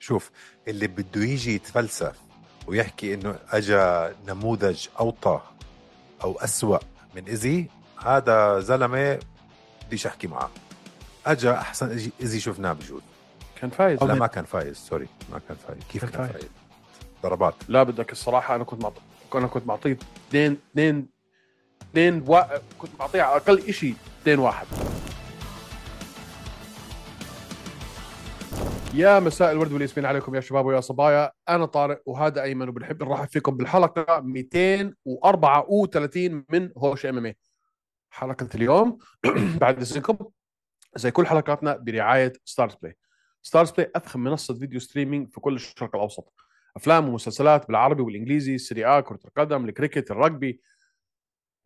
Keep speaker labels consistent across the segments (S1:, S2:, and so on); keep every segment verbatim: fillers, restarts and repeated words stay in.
S1: شوف، اللي بده يجي يتفلسف ويحكي انه اجا نموذج اوطى او اسوأ من ايزي، هذا زلمه بديش احكي معه. اجا احسن ايزي إيزي شفناه بجوز.
S2: كان فايز.
S1: لا ما كان فايز، سوري ما كان فايز. كيف كان, كان فايز. فايز ضربات.
S2: لا بدك الصراحه انا كنت معطي انا كنت معطيه اثنين اثنين اثنين و... كنت معطيه على اقل شيء اثنين واحد. يا مساء الورد والياسمين عليكم يا شباب ويا صبايا. انا طارق وهذا ايمن، وبنحب نرحب فيكم بالحلقه مئتين وأربعة وثلاثين من هوش ام ام اي. حلقه اليوم بعد اذنكم زي كل حلقاتنا برعايه ستارز بلاي. ستارز بلاي افخم منصه فيديو ستريمينج في كل الشرق الاوسط، افلام ومسلسلات بالعربي والانجليزي، السيري آ، كره القدم، الكريكت، الرجبي،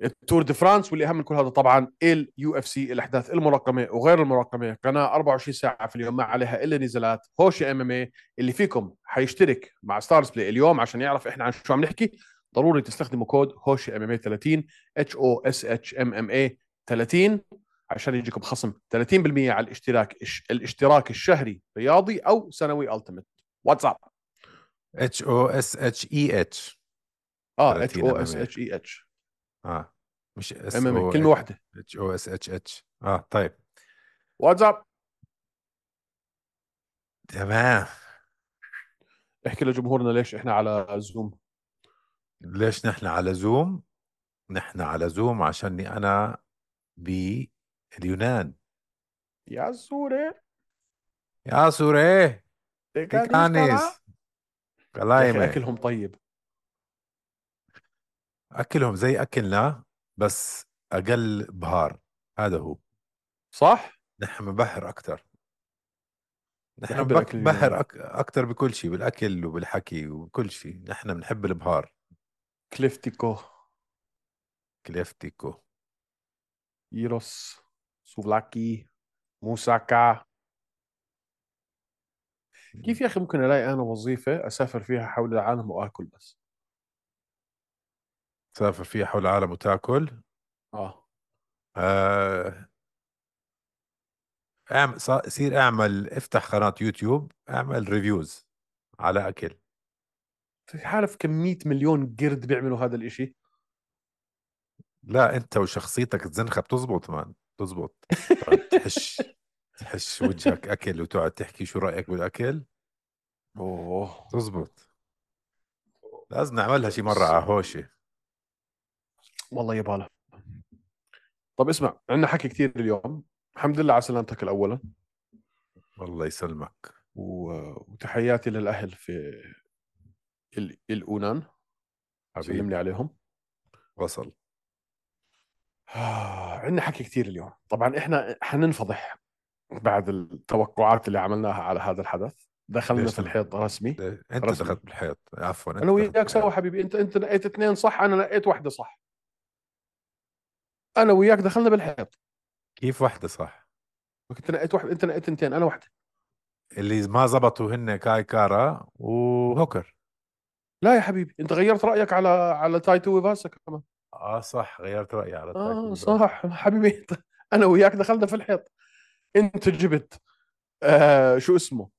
S2: التور دي فرانس، واللي اهم من كل هذا طبعا اليو اف سي، الاحداث المراقمه وغير المراقمه. قناه أربعة وعشرين ساعه في اليوم ما عليها الا نزالات. هوش ام ام اي اللي فيكم حيشترك مع ستارز بلاي اليوم عشان يعرف احنا عن شو عم نحكي، ضروري تستخدموا كود هوش ام ام اي ثلاثين اتش او اس اتش ام ام اي ثلاثين عشان يجيكم خصم ثلاثين بالمئة على الاشتراك الاشتراك الشهري رياضي او سنوي التيمت. واتساب
S1: اتش او اس اتش اي اتش
S2: اه اتش او اس اتش اي اتش
S1: اه مش اس
S2: ام ام
S1: او
S2: كلمه واحده.
S1: اتش او اس اتش اتش اه طيب
S2: واتساب
S1: تمام.
S2: احكي لجمهورنا ليش احنا على زوم.
S1: ليش نحن على زوم؟ نحن على زوم عشاني انا باليونان.
S2: يا سوري
S1: يا سوري
S2: تكانيس. يا اخي
S1: كلايمة.
S2: اكلهم طيب.
S1: اكلهم زي اكلنا بس اقل بهار، هذا هو
S2: صح.
S1: نحن بحر اكثر. نحن
S2: بحب الاكل
S1: بحر
S2: اليوناني.
S1: أك... اكثر بكل شيء، بالاكل وبالحكي وكل شيء. نحن بنحب البهار.
S2: كليفتيكو،
S1: كليفتيكو،
S2: ييروس، سوفلاكي، موساكا. كيف يا اخي ممكن الاقي انا وظيفه اسافر فيها حول العالم واكل بس؟
S1: تسافر فيها حول العالم وتاكل.
S2: اه
S1: آه... اعمل ص- صير اعمل، افتح قناة يوتيوب، اعمل ريفيوز على اكل.
S2: في عارف كم مية مليون قرد بيعملوا هذا الاشي؟
S1: لا انت وشخصيتك الزنخة بتزبط مان، بتزبط. تقعد تحش تحش وجهك اكل وتقعد تحكي شو رأيك بالاكل.
S2: اوه
S1: تزبط. لازم نعملها شي مرة
S2: بس
S1: على هوشة.
S2: والله يباله. طب اسمع، عندنا حكي كثير اليوم. الحمد لله على سلامتك الاولا،
S1: الله يسلمك
S2: و- وتحياتي للاهل في ال- اليونان. سلم لي
S1: حبيبي.
S2: عليهم.
S1: وصل.
S2: آه، عندنا حكي كثير اليوم. طبعا احنا حننفضح بعد التوقعات اللي عملناها على هذا الحدث. دخلنا
S1: ليش
S2: في
S1: نم...
S2: الحيط رسمي.
S1: ليه؟ انت
S2: رسمي.
S1: دخلت بالحيط، عفوا
S2: انا
S1: انت دخلت
S2: وياك سوا
S1: بالحيط.
S2: حبيبي. انت انت نقيت اثنين صح، انا نقيت واحده صح. انا وياك دخلنا بالحيط.
S1: كيف واحدة صح؟
S2: انت نقيت واحده، انت نقيت اثنتين، انا واحده.
S1: اللي ما زبطوا هن كاي كارا وهوكر.
S2: لا يا حبيبي، انت غيرت رايك على على تايتو ويفاسا كمان.
S1: اه صح، غيرت رأيي على تايتو
S2: اه
S1: وباسا.
S2: صح حبيبي. انت انا وياك دخلنا في الحيط. انت جبت آه شو اسمه،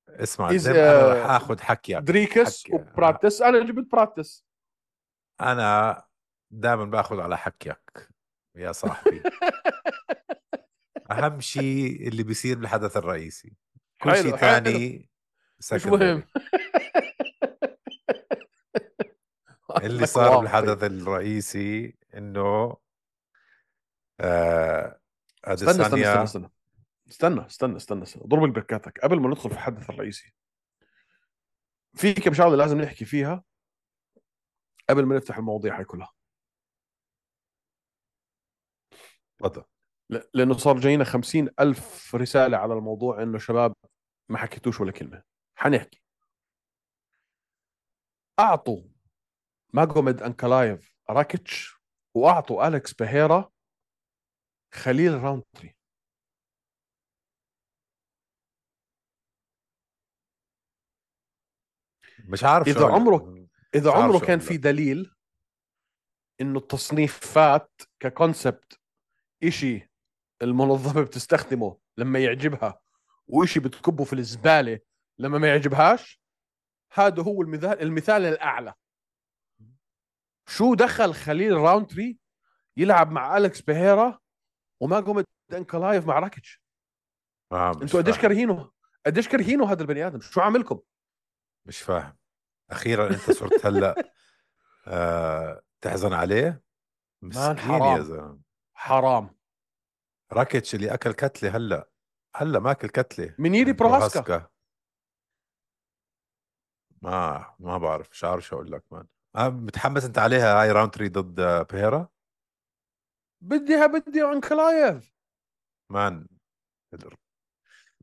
S1: اسمع
S2: إز
S1: زين، انا راح
S2: آه
S1: اخذ حكيك.
S2: دريكس
S1: حكي آه.
S2: وبراتس، انا جبت براتس.
S1: انا دائما باخذ على حكيك يا صاحبي. اهم شيء اللي بيصير بالحدث الرئيسي، كل شيء
S2: حلو حلو،
S1: ثاني
S2: مش مهم.
S1: سكندري. اللي
S2: لك
S1: صار
S2: واطي.
S1: بالحدث الرئيسي انه آه
S2: استنى استنى استنى
S1: اديسانيا.
S2: استنى استنى استنى استنى استنى ضرب البركاتك قبل ما ندخل في الحدث الرئيسي. في كم شغله لازم نحكي فيها قبل ما نفتح المواضيع هاي كلها.
S1: تفضل.
S2: ل- لانه صار جاينا خمسين ألف رساله على الموضوع انه شباب ما حكيتوش ولا كلمه. حنحكي. اعطوا ماجوميد انكلايف راكيتش، واعطوا اليكس بهيرا خليل راونتري.
S1: مش عارف شو
S2: اذا
S1: اقول لك.
S2: عمره اذا
S1: مش عارف
S2: عمره
S1: شو
S2: كان
S1: اقول
S2: في
S1: لك.
S2: دليل انه التصنيفات ككونسبت إشي المنظمة بتستخدمه لما يعجبها، وإشي بتكبه في الزبالة لما ما يعجبهاش. هذا هو المثال المثال الاعلى. شو دخل خليل راونتري يلعب مع أليكس بيهيرا وما قمت انكلايف مع راكيتش؟
S1: آه مش
S2: انتوا قديش
S1: فاهم.
S2: كارهينه، قديش كارهينه هذا البني ادم؟ شو عاملكم؟
S1: مش فاهم. اخيرا انت صرت هلا آه تحزن عليه.
S2: مان
S1: مسكين يا
S2: حرام،
S1: زلمه.
S2: حرام.
S1: راكيتش اللي اكل كتله هلا، هلا ماكل كتله
S2: من ييري
S1: من
S2: بروهاسكا.
S1: بروهاسكا. ما ما بعرف، مش عارف شو اقول لك مان. آه متحمس انت عليها هاي راوند ثلاثة ضد آه، بيهيرا.
S2: بديها بدي انكلايف.
S1: مان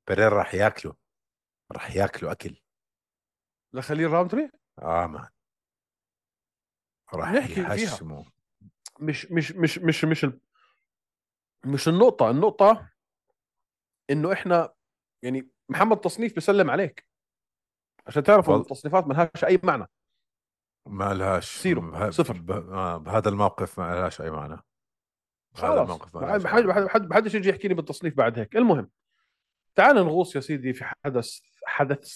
S1: بيريرا راح ياكله، راح ياكله اكل.
S2: لخليل راونتري
S1: اه مان راح
S2: نحكي فيها.
S1: يحشمه.
S2: مش مش مش مش مش ال- مش النقطة، النقطة انه احنا يعني محمد تصنيف بيسلم عليك عشان تعرفوا انه
S1: وال
S2: التصنيفات ما لهاش اي معنى.
S1: ما لهاش
S2: زيرو،
S1: ب...
S2: صفر.
S1: ب... آه بهذا الموقف ما لهاش اي معنى. بهذا
S2: خلاص
S1: الموقف ما
S2: ما
S1: لهاش اي
S2: حد
S1: معنى.
S2: ما حدش يجي يحكي لي بالتصنيف بعد هيك. المهم، تعال نغوص يا سيدي في حدث حدث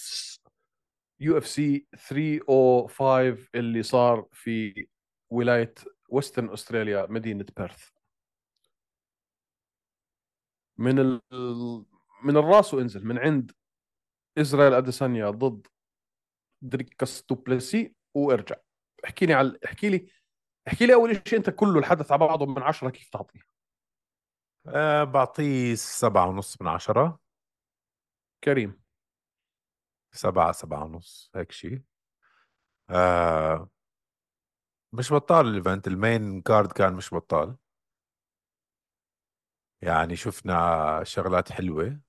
S2: يو اف سي ثلاثمية وخمسة اللي صار في ولاية وسترن استراليا، مدينة بيرث. من ال... من الراس وانزل من عند إسرائيل أديسانيا ضد دريكاس دوبلسي وارجع. احكي لي على احكي لي احكي لي اول شيء، انت كله الحدث على بعضه من عشرة كيف تعطيه؟
S1: آه بعطيه سبعة ونص من عشرة.
S2: كريم.
S1: سبعة سبعة ونص هيك شيء. آه مش بطال الايفنت، المين كارد كان مش بطال. يعني شفنا شغلات حلوة،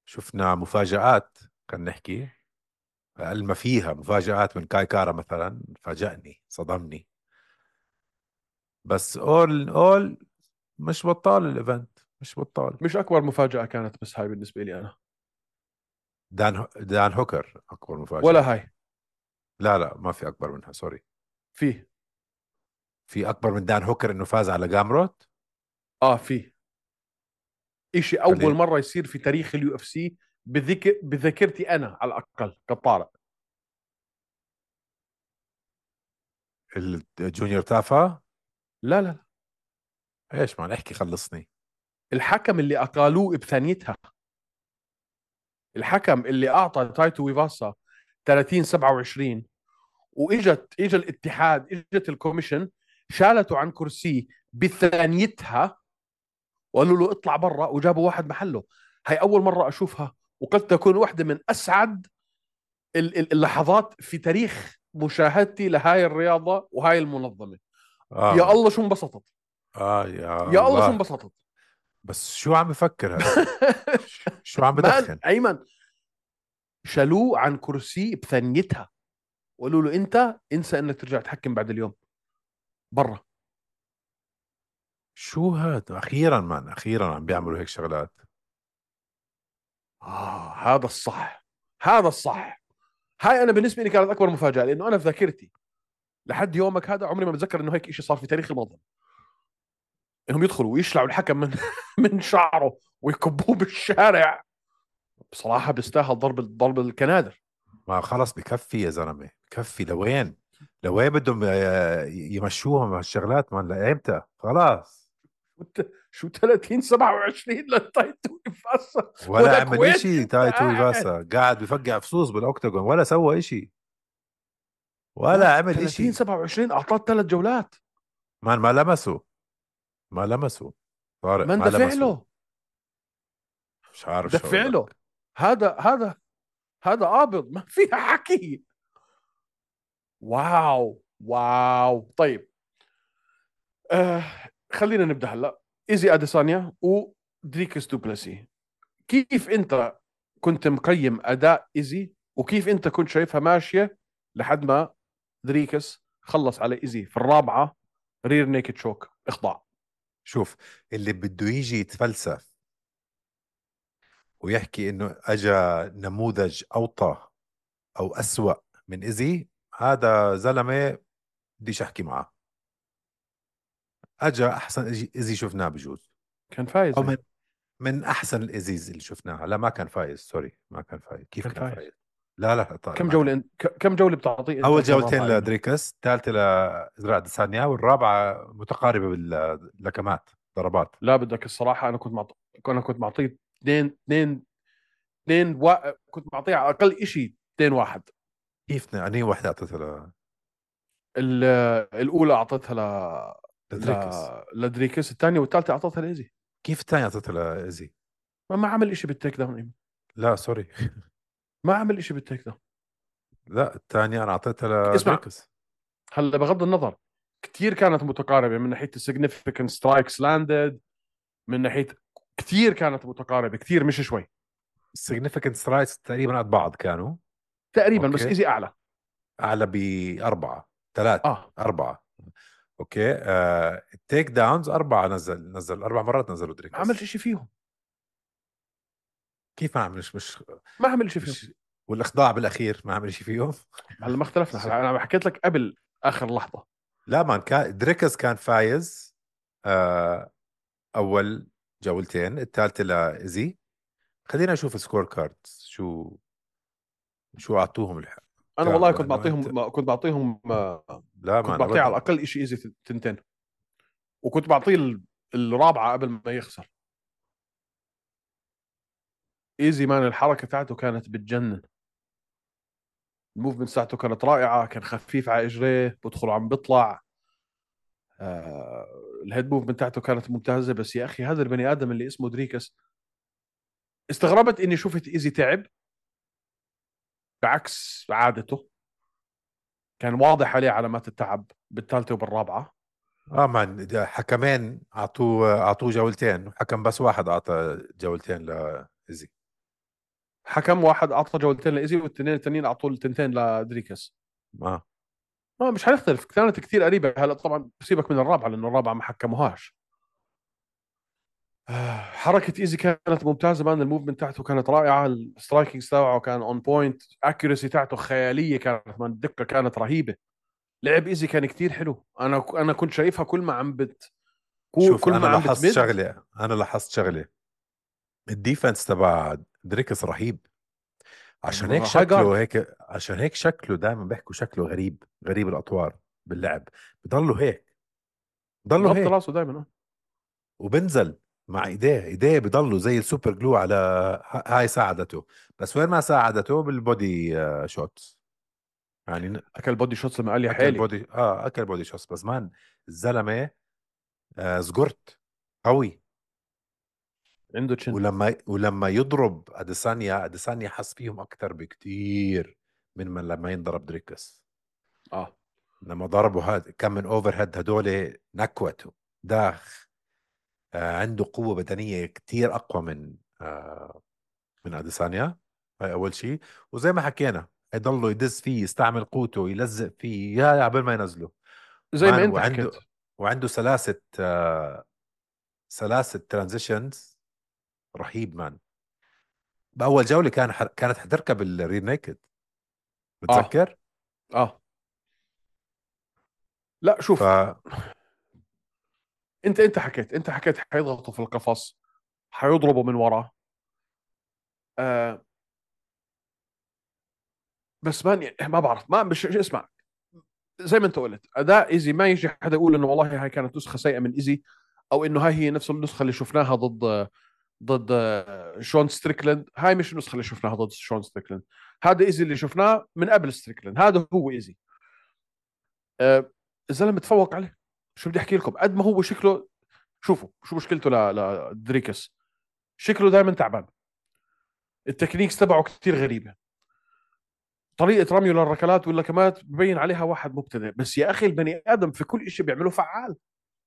S1: شفنا مفاجآت. كان نحكي أقل ما فيها مفاجآت من كاي كارا مثلا، فاجأني صدمني. بس اول اول مش بطال الايفنت، مش بطال.
S2: مش اكبر مفاجأة كانت، بس هاي بالنسبة لي انا.
S1: دان هو- دان هوكر اكبر
S2: ولا
S1: مفاجأة.
S2: هاي.
S1: لا لا ما في اكبر منها، سوري.
S2: فيه.
S1: في اكبر من دان هوكر انه فاز على جامروت.
S2: اه فيه. اشي اول
S1: خلينا
S2: مرة يصير في تاريخ اليو اف سي، بذكر بذاكرتي انا على الاقل كطارق.
S1: الجونيور تافا.
S2: لا لا لا.
S1: ايش ما نحكي، خلصني.
S2: الحكم اللي اقالوه بثانيتها، الحكم اللي اعطى تايتو ويفاسا ثلاثين سبعة وعشرين، واجت اجى الاتحاد، اجت الكوميشن، شالته عن كرسيه بثانيتها وقالوا له اطلع برا وجابوا واحد محله. هاي اول مره اشوفها، وقد تكون واحده من اسعد ال- ال- اللحظات في تاريخ مشاهدتي لهاي الرياضه وهاي المنظمه.
S1: اه
S2: يا
S1: مان.
S2: الله شو انبسطت،
S1: اه يا
S2: يا الله شو
S1: الله.
S2: انبسطت.
S1: بس شو عم بفكر هسه؟ ش- شو عم
S2: مان
S1: بدخن؟
S2: ايمن، شالوه عن كرسي بثانيتها وقالوا له انت انسى انك ترجع تحكم بعد اليوم، برا.
S1: شو هاد اخيرا مان، اخيرا عم بيعملوا هيك شغلات.
S2: آه هذا الصح، هذا الصح. هاي انا بالنسبه لي كانت اكبر مفاجاه، لانه انا في ذاكرتي لحد يومك هذا عمري ما بتذكر انه هيك شيء صار في تاريخ المنظمه، انهم يدخلوا ويشلعوا الحكم من من شعره ويكبوه بالشارع. بصراحه بيستاهل ضرب ضرب الكنادر.
S1: ما خلص بكفي يا زلمه، بكفي. لوين لوين بدهم آه، يمشوهم هالشغلات مان؟ لايمتى؟ خلاص.
S2: شو ثلاثين سبعة وعشرين للتايتو يفسر
S1: ولا
S2: ولك
S1: عمل
S2: وين
S1: اشي
S2: انت
S1: تايتو
S2: قاعد؟
S1: إيفاسا، قاعد بفقع فصوص بالاوكتاجون ولا سوى اشي،
S2: مان
S1: ولا عمل
S2: ثلاثين
S1: اشي.
S2: سبعة وعشرين اعطاه ثلاث جولات.
S1: مان ما لمسه، ما لمسه. طارق
S2: ما
S1: ما
S2: اندفع
S1: لمسه.
S2: له،
S1: مش عارف شو
S2: دفع
S1: اقول
S2: له.
S1: لك.
S2: هذا هذا هذا قابض ما فيها حكي. واو واو. طيب آه خلينا نبدا هلا. ايزي اديسانيا ودريكس دوبلسي، كيف انت كنت مقيم اداء ايزي وكيف انت كنت شايفها ماشيه لحد ما دريكس خلص على ايزي في الرابعه رير نيكد شوك اخضاع؟
S1: شوف، اللي بده يجي يتفلسف ويحكي انه اجى نموذج اوطى او اسوأ من ايزي، هذا زلمه بديش احكي معه. اجى احسن إيزي إيزي شفناه بجوز،
S2: كان فايز
S1: او من
S2: هيك.
S1: من احسن الايزيز اللي شفناها. لا ما كان فايز، سوري ما كان فايز. كيف
S2: كان
S1: كان
S2: فايز.
S1: فايز؟ لا لا طيب
S2: كم
S1: ما
S2: جوله انت ك- كم جوله بتعطيه انت
S1: اول
S2: كرابعه
S1: جولتين
S2: ايمن؟
S1: لدريكس، الثالثه لإزراء ديسانيا، والرابعه متقاربه باللكمات ضربات.
S2: لا بدك الصراحه، انا كنت معطي انا كنت معطيه اثنين اثنين اثنين و... كنت معطيه على اقل شيء اثنين واحد.
S1: كيف اني وحده اعطيتها
S2: ال- الاولى اعطيتها ل ل
S1: لدريكس؟
S2: لدريكس، الثانيه والثالثه اعطيتها لايزي.
S1: كيف الثانيه اعطيتها لايزي؟
S2: ما ما عمل شيء بالتيك داون ايمن.
S1: لا سوري.
S2: ما عمل شيء بالتيك داون.
S1: لا الثانيه انا اعطيتها
S2: اسمع،
S1: لدريكس.
S2: هلا بغض النظر كثير كانت متقاربه من ناحيه السيجنفيكنت سترايكس لاندد، من ناحيه كثير كانت متقاربه كثير مش شوي.
S1: significant strides تقريبا قد بعض كانوا.
S2: تقريبا، بس
S1: اوكي،
S2: ايزي اعلى.
S1: اعلى باربعه، ثلاث،
S2: اه
S1: اربعه. اوكي، آه التيك داونز اربعه، نزل نزل اربع مرات نزلوا
S2: ما عمل
S1: دريكس.
S2: شيء فيهم.
S1: كيف ما عمل؟ مش مش
S2: ما عمل شيء فيهم.
S1: مش والاخضاع بالاخير ما عمل شيء فيهم.
S2: هلا ما اختلفنا، هلا انا حكيت لك قبل اخر لحظه.
S1: لا مان، كان دريكس كان فايز آه اول جولتين، الثالثه لايزي. خلينا نشوف السكور كارد، شو شو اعطوهم الحق.
S2: انا
S1: كانوا
S2: والله كنت
S1: لانه انت،
S2: بعطيهم كنت بعطيهم
S1: لا
S2: كنت
S1: مان
S2: بعطيه على
S1: ابدا.
S2: الاقل شيء ايزي تنتين، وكنت بعطيه ال- الرابعه قبل ما يخسر. ايزي مان الحركه تاعته كانت بتجنن. الموفمنت تاعته كانت رائعه، كان خفيف على اجريه، بدخل عم بيطلع. آه الهيد موفمنت تاعته كانت ممتازه. بس يا اخي هذا البني ادم اللي اسمه دريكس، استغربت اني شفت ايزي تعب. بعكس عادته كان واضح عليه علامات التعب بالثالثه وبالرابعه.
S1: اه مان، ده حكمين اعطوه اعطوه جولتين، وحكم بس واحد اعطى جولتين لايزي.
S2: حكم واحد اعطى جولتين لايزي، والتنين التانيين اعطوا التنتين لدريكس.
S1: اه
S2: ما مش حنختلف، كانت كثير قريبه. هلا طبعا بسيبك من الرابعه لانه الرابعه ما حكموهاش. آه، حركه ايزي كانت ممتازه مان. الموفمنت تاعته كانت رائعه، السترايكينج تاعه كان اون بوينت، اكيورسي تاعته خياليه كانت مان، الدقه كانت رهيبه. لعب ايزي كان كثير حلو. انا انا كنت شايفها كل ما عم بت كو-
S1: شوف،
S2: كل
S1: انا
S2: ما عم
S1: لاحظت
S2: بتمد.
S1: شغله انا لاحظت شغله الديفنس تبع دريكس رهيب. عشان هيك
S2: هاي جارد.
S1: شكله هيك عشان هيك شكله دائما بيحكوا شكله غريب، غريب الاطوار باللعب. بضله هيك، بضله
S2: مغطي
S1: هيك،
S2: راسه دائما.
S1: وبنزل مع ايديه ايديه بضلوا زي السوبر جلو على. ه- هاي ساعدته، بس وين ما ساعدته بالبودي آه، شوت يعني ن-
S2: اكل بودي شوتس لما قال لي
S1: اكل
S2: حالي.
S1: بودي اه اكل بودي شوت. بس مان الزلمه آه زقرت قوي.
S2: عنده تشن.
S1: ولما ولما يضرب اديسانيا اديسانيا حس فيهم اكثر بكتير من من لما ينضرب دريكس.
S2: اه
S1: لما ضربوا هاد كم من اوفر هيد هدول نكوته داخ. آه عنده قوة بدنية كتير أقوى من آه من أديسانيا. هاي أول شيء. وزي ما حكينا يضلوا يدز فيه، يستعمل قوته، يلزق فيه يا قبل ما ينزله.
S2: زي
S1: مان
S2: ما انت حكيت.
S1: وعنده وعنده سلاسة آه سلاسة ترانزيشنز رهيب مان. بأول جولة كان حر... كانت حتركب الرير نيكد،
S2: اه
S1: بتذكر؟
S2: اه لا
S1: ف
S2: شوف، انت انت حكيت انت حكيت حيضغطوا في القفص، حيضربوا من ورا. آه بس ما ما بعرف، ما مش اسمع. زي ما انت قلت اداء ايزي، ما يجي حدا يقول انه والله هاي كانت نسخه سيئه من ايزي، او انه هاي هي نفس النسخه اللي شفناها ضد ضد آه، شون ستريكلند. هاي مش النسخه اللي شفناها ضد شون ستريكلند. هذا ايزي اللي شفناه من قبل ستريكلند، هذا هو ايزي. آه الزلمه تفوق عليه. شو بدي احكي لكم، قد ما هو شكله. شوفوا شو مشكلته ل- لدريكس. شكله دائما تعبان. التكنيكس تبعه كثير غريبه. طريقه رميه للركلات واللكمات ببين عليها واحد مبتدئ. بس يا اخي البني ادم في كل شيء بيعمله فعال.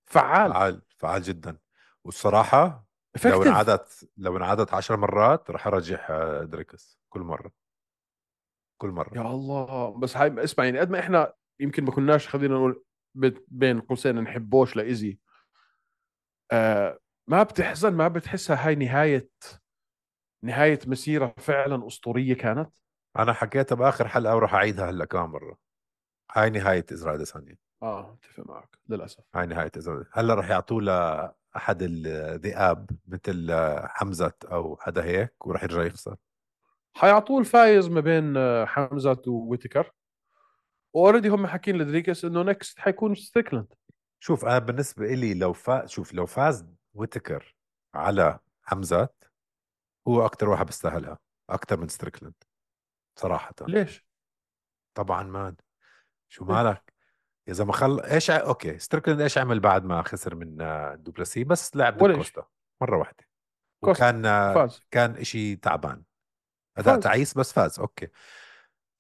S2: فعال.
S1: فعال فعال جدا. والصراحة لو
S2: افكتيف.
S1: انعادت لو انعادت عشر مرات رح ارجح آه، دريكس كل مرة، كل مرة.
S2: يا الله، بس هاي اسمع، يعني قد ما احنا يمكن ما كناش خلينا نقول بت- بين قوسين نحبوش لايزي. آه ما بتحزن، ما بتحسها هاي نهايه نهايه مسيره فعلا اسطوريه كانت.
S1: انا حكيتها باخر حلقة وراح اعيدها هلا كمان مرة. هاي نهاية ازرائيل اديسانيا.
S2: اه اتفق معك للاسف.
S1: هاي نهاية ازرائيل. هلا رح يعطوه لاحد الذئاب مثل آه، حمزة او حدا هيك، ورح يرجع يخسر.
S2: حيعطوه الفايز ما بين آه، حمزة وويتكر، واوريدي هم حاكين لدريكس انه نكست حيكون ستريكلاند.
S1: شوف انا بالنسبه لي لو فاز، شوف لو فاز ويتكر على حمزة هو اكتر واحد بيستاهلها اكتر من ستريكلاند صراحه.
S2: ليش؟
S1: طبعا مان، شو
S2: ليش؟
S1: مالك؟ اذا ما خل ايش ع... اوكي ستريكلاند ايش عمل بعد ما خسر من آه، دوبلسي؟ بس لعب ضد
S2: ولا شيء.
S1: كوستا مره واحده،
S2: كوست
S1: وكان آه،
S2: فاز.
S1: كان اشي تعبان، اداء
S2: فاز.
S1: تعيس بس فاز. اوكي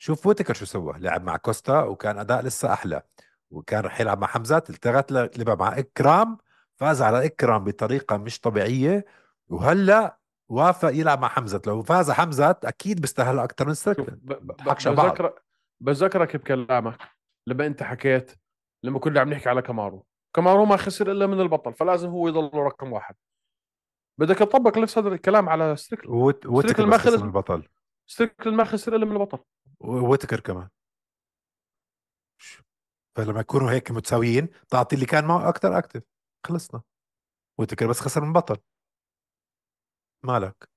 S1: شوف ويتكر شو سوى، لعب مع كوستا وكان اداء لسه احلى، وكان رح يلعب مع حمزة، التغت ل- لعب مع اكرام، فاز على اكرام بطريقه مش طبيعيه، وهلا وافق يلعب مع حمزة. لو فاز حمزة اكيد بيستاهل اكثر من
S2: شوف
S1: ستريكلاند،
S2: ب- ب- ب-
S1: بضحكش على بعض.
S2: بذكر بذكرك بكلامك لما انت حكيت، لما كنا عم نحكي على كامارو. كامارو ما خسر الا من البطل، فلازم هو يضل رقم واحد. بدك تطبق نفس هذا الكلام على ستريكل.
S1: ووت- ويتكر
S2: ستريكل ما
S1: بس خسر من
S2: خسر.
S1: البطل،
S2: ستريكل ما خسر الا من البطل.
S1: وويتكر كمان. فلما يكونوا هيك متساويين تعطي اللي كان معه اكثر اكتف، خلصنا. ويتكر بس خسر من بطل، مالك؟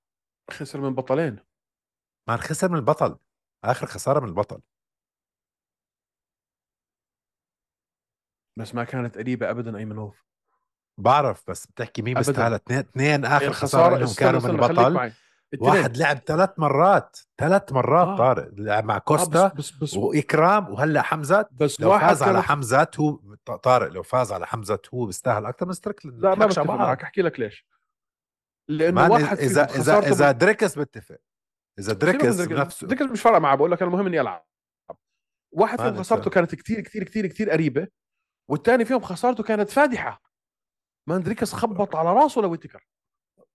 S2: خسر من بطلين.
S1: ما خسر من البطل، اخر خساره من البطل.
S2: بس ما كانت قريبه ابدا ايمنوف.
S1: بعرف، بس بتحكي مين
S2: ابدا.
S1: بيستاهل؟ اثنين اثنين اخر خساره
S2: الخساره،
S1: لهم
S2: استنى
S1: كانوا من
S2: استنى خليك
S1: البطل.
S2: معي.
S1: واحد
S2: الاثنين.
S1: لعب ثلاث مرات، ثلاث مرات
S2: اه
S1: طارق لعب مع
S2: اه بس
S1: كوستا
S2: بس بس
S1: واكرام وهلا حمزة.
S2: بس
S1: لو
S2: واحد
S1: فاز على
S2: كانت.
S1: حمزة هو، طارق لو فاز على حمزة هو بيستاهل اكثر من ستريكلاند، ما
S2: لا ما
S1: نضحكش على
S2: بتفق معك،
S1: بعض.
S2: احكي لك ليش. لانه
S1: مان
S2: واحد
S1: اذا
S2: فيهم
S1: اذا
S2: خسارته
S1: اذا
S2: ب...
S1: دريكس بتفق، اذا
S2: سيبك من
S1: دريكس
S2: دريكس.
S1: بنفسه.
S2: دريكس مش فارقه معه، بقول لك انا المهم اني العب. واحد فيهم
S1: مان
S2: خسارته
S1: انت
S2: كانت كتير كتير كتير كتير قريبه، والثاني فيهم خسارته كانت فادحه. مان دريكس خبط على راسه لويتكر،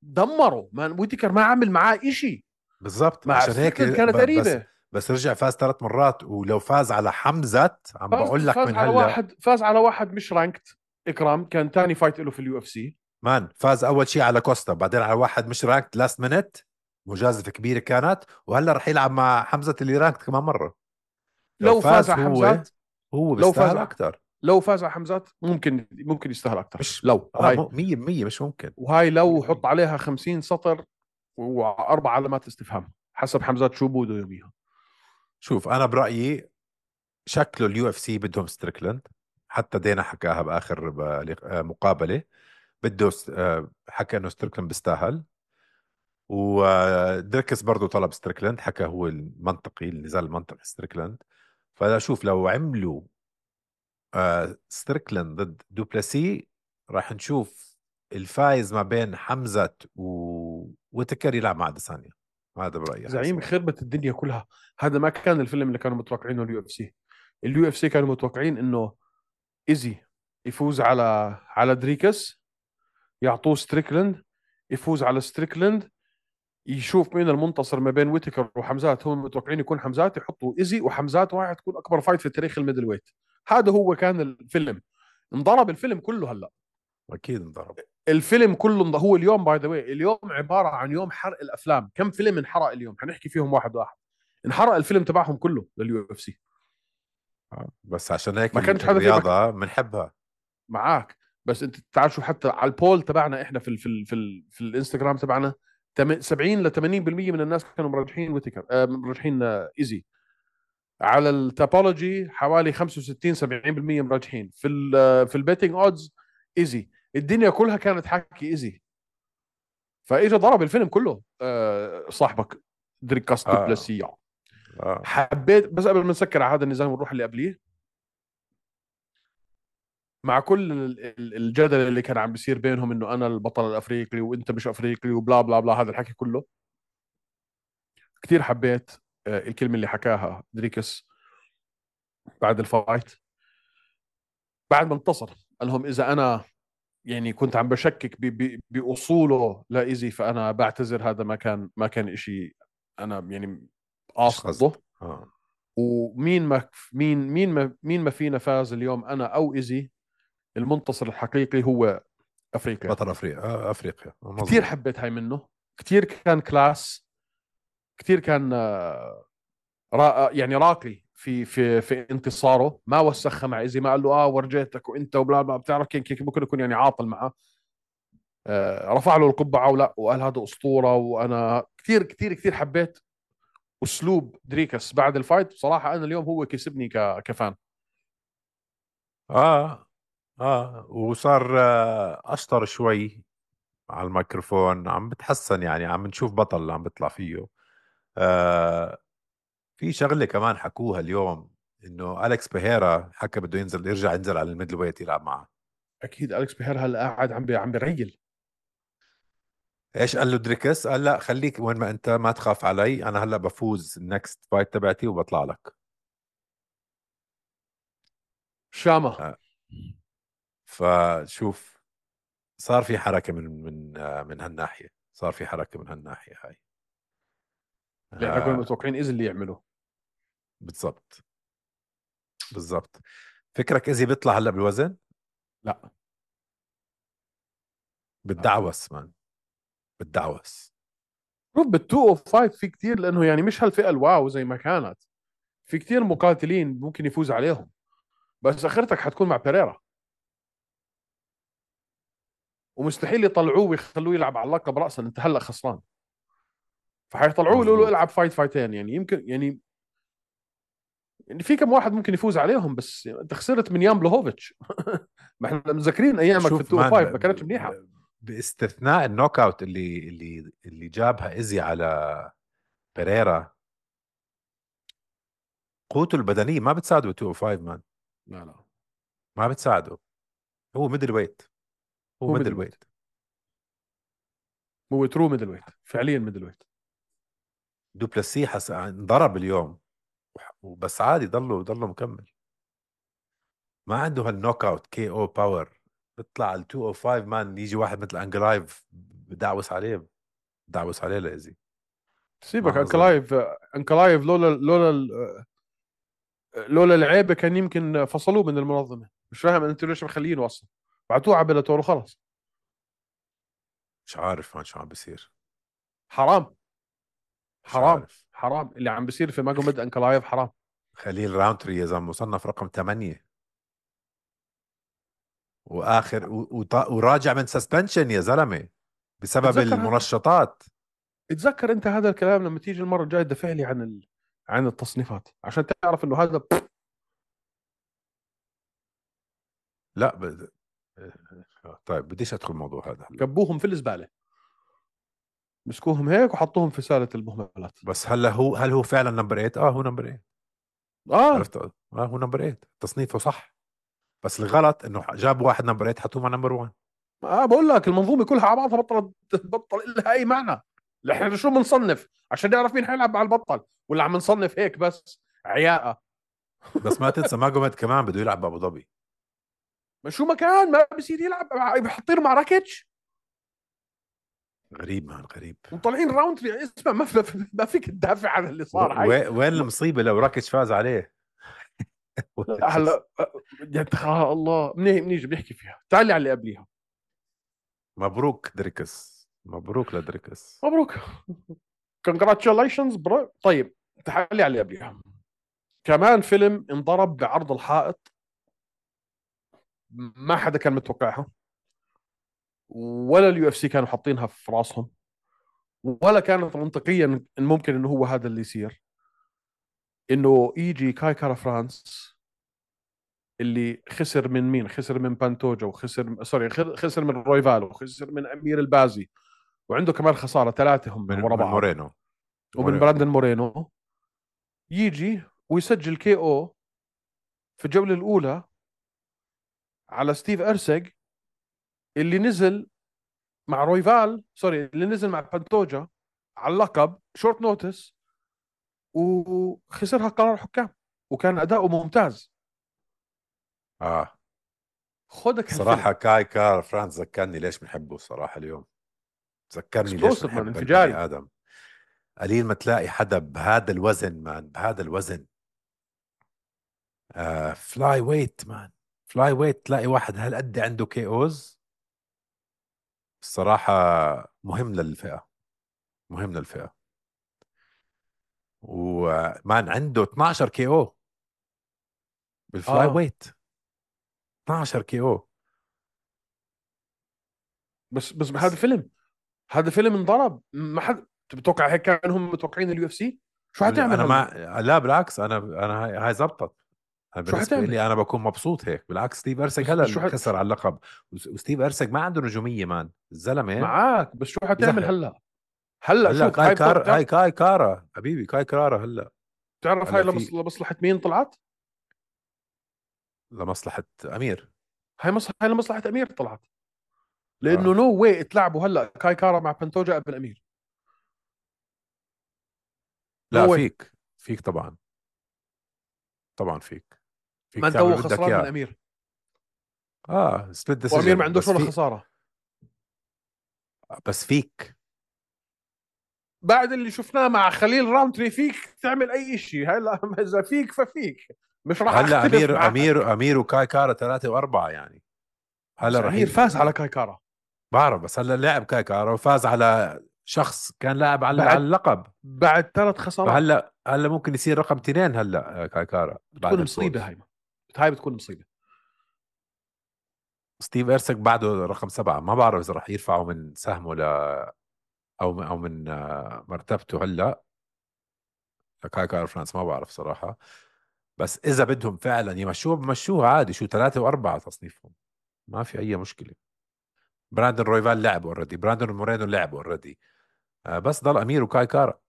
S2: دمره. مان ويتكر ما عمل معاه إشي.
S1: بالضبط،
S2: مع
S1: عشان هيك
S2: ستريكلند كانت
S1: ب- بس
S2: قريبه.
S1: بس رجع فاز ثلاث مرات، ولو فاز على حمزة عم
S2: فاز
S1: بقول لك
S2: فاز
S1: من
S2: على
S1: هلا.
S2: واحد فاز على واحد مش رانكت. اكرام كان ثاني فايت له في اليو اف سي.
S1: مان فاز اول شيء على كوستا، بعدين على واحد مش رانكت لاست مينت، مجازفة كبيرة كانت، وهلا رح يلعب مع حمزة اللي رانكت كمان مرة. لو
S2: لو فاز
S1: فاز
S2: على
S1: هو،
S2: حمزات
S1: هو
S2: لو فاز
S1: بيستاهل
S2: على
S1: اكثر.
S2: لو فاز على حمزات ممكن ممكن يستاهل اكثر.
S1: مش
S2: لو
S1: اه
S2: وهاي
S1: مو مية بالمية مش ممكن.
S2: وهاي لو حط
S1: مية بالمية.
S2: عليها خمسين سطر واربع علامات استفهام حسب حمزات شو بده يبيها.
S1: شوف انا برأيي شكله اليو اف سي بدهم ستريكلاند، حتى دينا حكاها باخر ب- آه، مقابلة، بده س- آه، حكى انه ستريكلاند بيستاهل، ودريكس برضو طلب ستريكلاند، حكى هو المنطقي النزال المنطقي ستريكلاند. فلا شوف لو عملوا آه ستريكلاند ضد دوبلسي راح نشوف الفايز ما بين حمزة و... وتكر يلعب مع ديسانيا. هذا برأيي
S2: زعيم
S1: حيصير.
S2: خربت الدنيا كلها. هذا ما كان الفيلم اللي كانوا متوقعينه اليو اف سي. اليو اف سي كانوا متوقعين انه ايزي يفوز على على دريكس، يعطوه ستريكلند، يفوز على ستريكلند، يشوف مين المنتصر ما بين ويتكر وحمزات. هم متوقعين يكون حمزات، يحطوا ايزي وحمزات، وراح تكون اكبر فايت في تاريخ الميدل ويت. هذا هو كان الفيلم. انضرب الفيلم كله. هلا
S1: أكيد انضرب.
S2: الفيلم كله انض- هو اليوم باي ذا واي، اليوم عباره عن يوم حرق الافلام. كم فيلم انحرق اليوم؟ حنحكي فيهم واحد واحد. انحرق الفيلم تبعهم كله لليو اف سي.
S1: آه. بس عشان هيك
S2: ما
S1: ال-
S2: كانش حدا في ما ك-
S1: الرياضة بنحبها.
S2: معاك. بس انت تعال شو حتى على البول تبعنا احنا في ال في ال في, ال في الانستغرام تبعنا، تم- سبعين ل ثمانين بالمية من الناس كانوا مرجحين ويتكر، آه مرجحين آه ايزي. على التابولوجي حوالي خمسة وستين سبعين بالمية مرجحين في ال آه، في البيتنج اودز ايزي. الدنيا كلها كانت حاكي ايزي. فاجى ضرب الفيلم كله آه صاحبك دريكاس
S1: اه
S2: دوبلسي.
S1: اه
S2: حبيت بس قبل ما نسكر على هذا النزال ونروح اللي قبليه، مع كل ال- ال- الجدل اللي كان عم بيصير بينهم انه انا البطل الافريقي وانت مش افريقي وبلا بلا بلا هذا الحكي كله، كثير حبيت آه، الكلمه اللي حكاها دريكس بعد الفايت، بعد ما انتصر. قال لهم اذا انا يعني كنت عم بشكك ب- ب- باصوله لايزي، فانا بعتذر. هذا ما كان ما كان إشي انا يعني
S1: مش قصد.
S2: قاصده.
S1: اه
S2: ومين ما مين مين ما مين ما فينا فاز اليوم، انا او ايزي. المنتصر الحقيقي هو افريقيا.
S1: بطل افريقيا، آه افريقيا، آه
S2: كثير
S1: مزبوط.
S2: حبيت هاي منه. كثير كان كلاس. كثير كان آه، را يعني راقي في في في انتصاره. ما وسخها مع ايزي، ما قال له اه ورجيتك وانت وبلا بلا. بتعرف كيف كيف ممكن يكون يعني عاطل معه. آه رفع له القبعه ولا، وقال هذا اسطوره. وانا كثير كثير كثير حبيت اسلوب دريكس بعد الفايت بصراحه انا اليوم هو كسبني ك... كفان.
S1: اه اه وصار آه اشطر شوي على الميكروفون، عم بتحسن يعني، عم نشوف بطل اللي عم بيطلع فيه. آه في شغله كمان حكوها اليوم، انه اليكس بيهيرا حكى بده ينزل، يرجع ينزل على الميدل ويت يلعب معه.
S2: اكيد اليكس بيهر هلا قاعد عم بي... عم بيريل.
S1: ايش قال له دريكس؟ قال لا خليك وين ما انت، ما تخاف علي، انا هلا بفوز النكست فايت تبعتي وبطلع لك.
S2: شامه.
S1: آه فشوف، صار في حركه من من آه من هالناحيه، صار في حركه من هالناحيه هاي.
S2: اللي احنا كنا
S1: آه
S2: متوقعين اذا اللي يعمله.
S1: بالضبط، بالضبط. فكرك ايزي بيطلع هلا بالوزن؟
S2: لا. لا.
S1: بالدعوس مان، بالدعوس.
S2: شوف بال مئتين وخمسة في كثير، لانه يعني مش هالفئه الواو زي ما كانت. في كثير مقاتلين ممكن يفوز عليهم، بس اخرتك حتكون مع بيريرا، ومستحيل يطلعوه ويخلوه يلعب على اللقب راسا، انت هلا خسران. فحيطلعوه يقولوا له
S1: مزبوط.
S2: العب فايت فايتين، يعني يمكن يعني يعني في كم واحد ممكن يفوز عليهم، بس انت خسرت من يان بلوهوفيتش. ما احنا مذكرين ايامك في ال
S1: شوف مان، ب...
S2: مئتين وخمسة ما كانتش منيحه.
S1: ب... باستثناء النوك اوت اللي اللي اللي جابها ايزي على بيريرا، قوته البدنيه ما بتساعده ب مئتين وخمسة مان،
S2: لا لا.
S1: ما بتساعده. هو ميدل ويت، هو
S2: هو
S1: ميدل
S2: ميدل ويت،
S1: ويت.
S2: هو ترو ميدل ويت، فعليا ميدل ويت.
S1: دوبلسي حس انضرب اليوم، وح- وبس عادي ضله ضله مكمل. ما عنده هالنوك اوت كي او باور. بيطلع ال مئتين وخمسة مان، يجي واحد مثل انجلايف بدعوس عليه، بدعوس عليه لايزي.
S2: سيبك
S1: ما اظن.
S2: انكلايف. انكلايف لولا لولا لولا العيبه كان يمكن فصلوه من المنظمه. مش فاهم انتوا ليش مخلينه اصلا، بعتوه على بلاتور وخلص.
S1: مش عارف ما شو عم بيصير.
S2: حرام.
S1: مش
S2: حرام.
S1: عارف.
S2: حرام اللي عم بيصير في ماجوميد انكلايف، حرام.
S1: خليل راونتري يا زلمه مصنف رقم ثمانية، واخر و... وط- وراجع من سسبنشن يا زلمه بسبب
S2: اتذكر هذا.
S1: المنشطات.
S2: اتذكر انت هذا الكلام لما تيجي المره الجايه تدافع لي عن ال... عن التصنيفات عشان تعرف انه هذا
S1: لا ب... طيب بديش ادخل الموضوع هذا هلا.
S2: كبوهم في الزباله، مسكوهم هيك وحطوهم في ساله المهملات.
S1: بس هلا هو، هل هو فعلا نمبر ثمانية؟ اه هو نمبر ثمانية.
S2: اه.
S1: عرفت؟ اه هو نمبر ثمانية، تصنيفه صح. بس الغلط انه جاب واحد نمبر ثمانية حطوه مع نمبر واحد.
S2: اه بقول لك المنظومه كلها على بعضها بطلت بطل لها اي معنى. احنا شو بنصنف عشان نعرف مين حيلعب مع البطل، ولا عم نصنف هيك بس عياقه؟
S1: بس ما تنسى ماجوميد كمان بده يلعب بابو ظبي.
S2: ما شو ما كان ما بصير يلعب مع- بحطينه مع راكيتش.
S1: غريب مان، غريب.
S2: ومطلعين راوند تري. اسمع ما في ما فيك تدافع عن اللي
S1: و...
S2: صار هاي.
S1: و... وين المصيبه لو راكش فاز عليه؟
S2: هلا يعني تخيل الله منيح منيجي بنحكي فيها، تعالي على اللي قبليها.
S1: مبروك دريكس، مبروك لدريكس.
S2: مبروك. كونجراتشاليشنز برو. طيب تعالي على اللي قبليها. كمان فيلم انضرب بعرض الحائط، ما حدا كان متوقعها، ولا اليو اف سي كانوا حاطينها في راسهم، ولا كانت منطقيا إن ممكن انه هو هذا اللي يصير، انه يجي كاي كارا فرانس اللي خسر من مين؟ خسر من بانتوجا، وخسر سوري خسر من رويفال، وخسر من امير البازي، وعنده كمان خساره ثلاثه هم
S1: من
S2: ورا
S1: من
S2: بعض،
S1: مورينو.
S2: ومن
S1: مورينو.
S2: براندن مورينو. يجي ويسجل كي او في الجوله الاولى على ستيف ارسج اللي نزل مع رويفال، سوري اللي نزل مع بانتوجا على اللقب شورت نوتس، وخسرها قرار حكام، وكان اداؤه ممتاز.
S1: اه
S2: خدك هالفيلم.
S1: صراحة كاي كار فرانس ذكرني ليش بنحبه الصراحة اليوم، ذكرني ليش
S2: اكسبلوسيف مان،
S1: بنحب البني
S2: انفجاري.
S1: آدم. قليل ما تلاقي حدا بهذا الوزن مان، بهذا الوزن. آه فلاي ويت مان، فلاي ويت تلاقي واحد هالقد عنده كي اوز. الصراحة مهم للفئة، مهم للفئة. ومان عنده اثناشر كي او بالفلاي
S2: اه
S1: ويت، اثناشر كي او.
S2: بس بس هذا فيلم، هذا فيلم انضرب، ما حد بتوقع هيك كان هم متوقعين اليو اف سي. شو حتعمل
S1: انا
S2: هلا؟
S1: ما لا بالعكس، انا انا هاي هاي زبطت. أنا
S2: شو
S1: بالنسبه
S2: حتعمل؟
S1: لي انا بكون مبسوط هيك. بالعكس ستيف ارسك
S2: بس بس
S1: هلا
S2: شو
S1: اللي
S2: حت...
S1: خسر على اللقب. وس- وستيف ارسك ما عنده نجوميه مان الزلمه.
S2: معاك، بس شو حتعمل
S1: بزهق.
S2: هلا؟ هلا
S1: هلا
S2: شوف،
S1: كاي
S2: هاي بتو...
S1: كار
S2: بتعرف
S1: هاي كاي كارا حبيبي، كاي كارا هلا.
S2: بتعرف هاي
S1: هلا
S2: لمص...
S1: في
S2: لمصلحة مين طلعت؟
S1: لمصلحه امير.
S2: هاي مص... هاي لمصلحة امير طلعت. لانه
S1: اه
S2: نو واي تلعبوا هلا كاي كارا مع بنتوجا قبل امير. نو
S1: لا
S2: واي.
S1: فيك، فيك طبعا. طبعا فيك. فيك
S2: ما انت هو
S1: تعمل بدك
S2: خسران من
S1: اياه.
S2: امير،
S1: اه سبليت
S2: وامير ما
S1: ديسيجن
S2: عندوش
S1: بس
S2: ولا
S1: في.
S2: خسارة.
S1: بس فيك.
S2: بعد اللي شفناه مع خليل راوندري فيك تعمل اي شيء. هلا اذا فيك ففيك، مش راح
S1: هلا
S2: اختلف
S1: امير امير
S2: معك.
S1: امير وكاي كارا ثلاثه واربعه يعني. هلا
S2: بس
S1: رح
S2: امير
S1: ي...
S2: فاز على كاي كارا
S1: بعرف، بس هلا لعب كاي كارا وفاز على شخص كان لاعب على على
S2: بعد
S1: اللقب.
S2: بعد ثلاث خسارات.
S1: فهلا هلا ممكن يصير رقم اثنين هلا آه، كاي كارا بعد
S2: بتكون مصيبة
S1: الفوز.
S2: هاي. هاي بتكون مصيبة.
S1: ستيف ارسك بعده رقم سبعة، ما بعرف اذا رح يرفعوا من سهمه ل او من او من آه، مرتبته هلا لكاي كارا فرانس، ما بعرف صراحة. بس اذا بدهم فعلا يمشوه بمشوها عادي، شو ثلاثة واربعة تصنيفهم، ما في اي مشكلة. براندون رويفال لعب اوريدي، براندون مورينو لعب اوريدي. بس ضل امير وكاي كارا.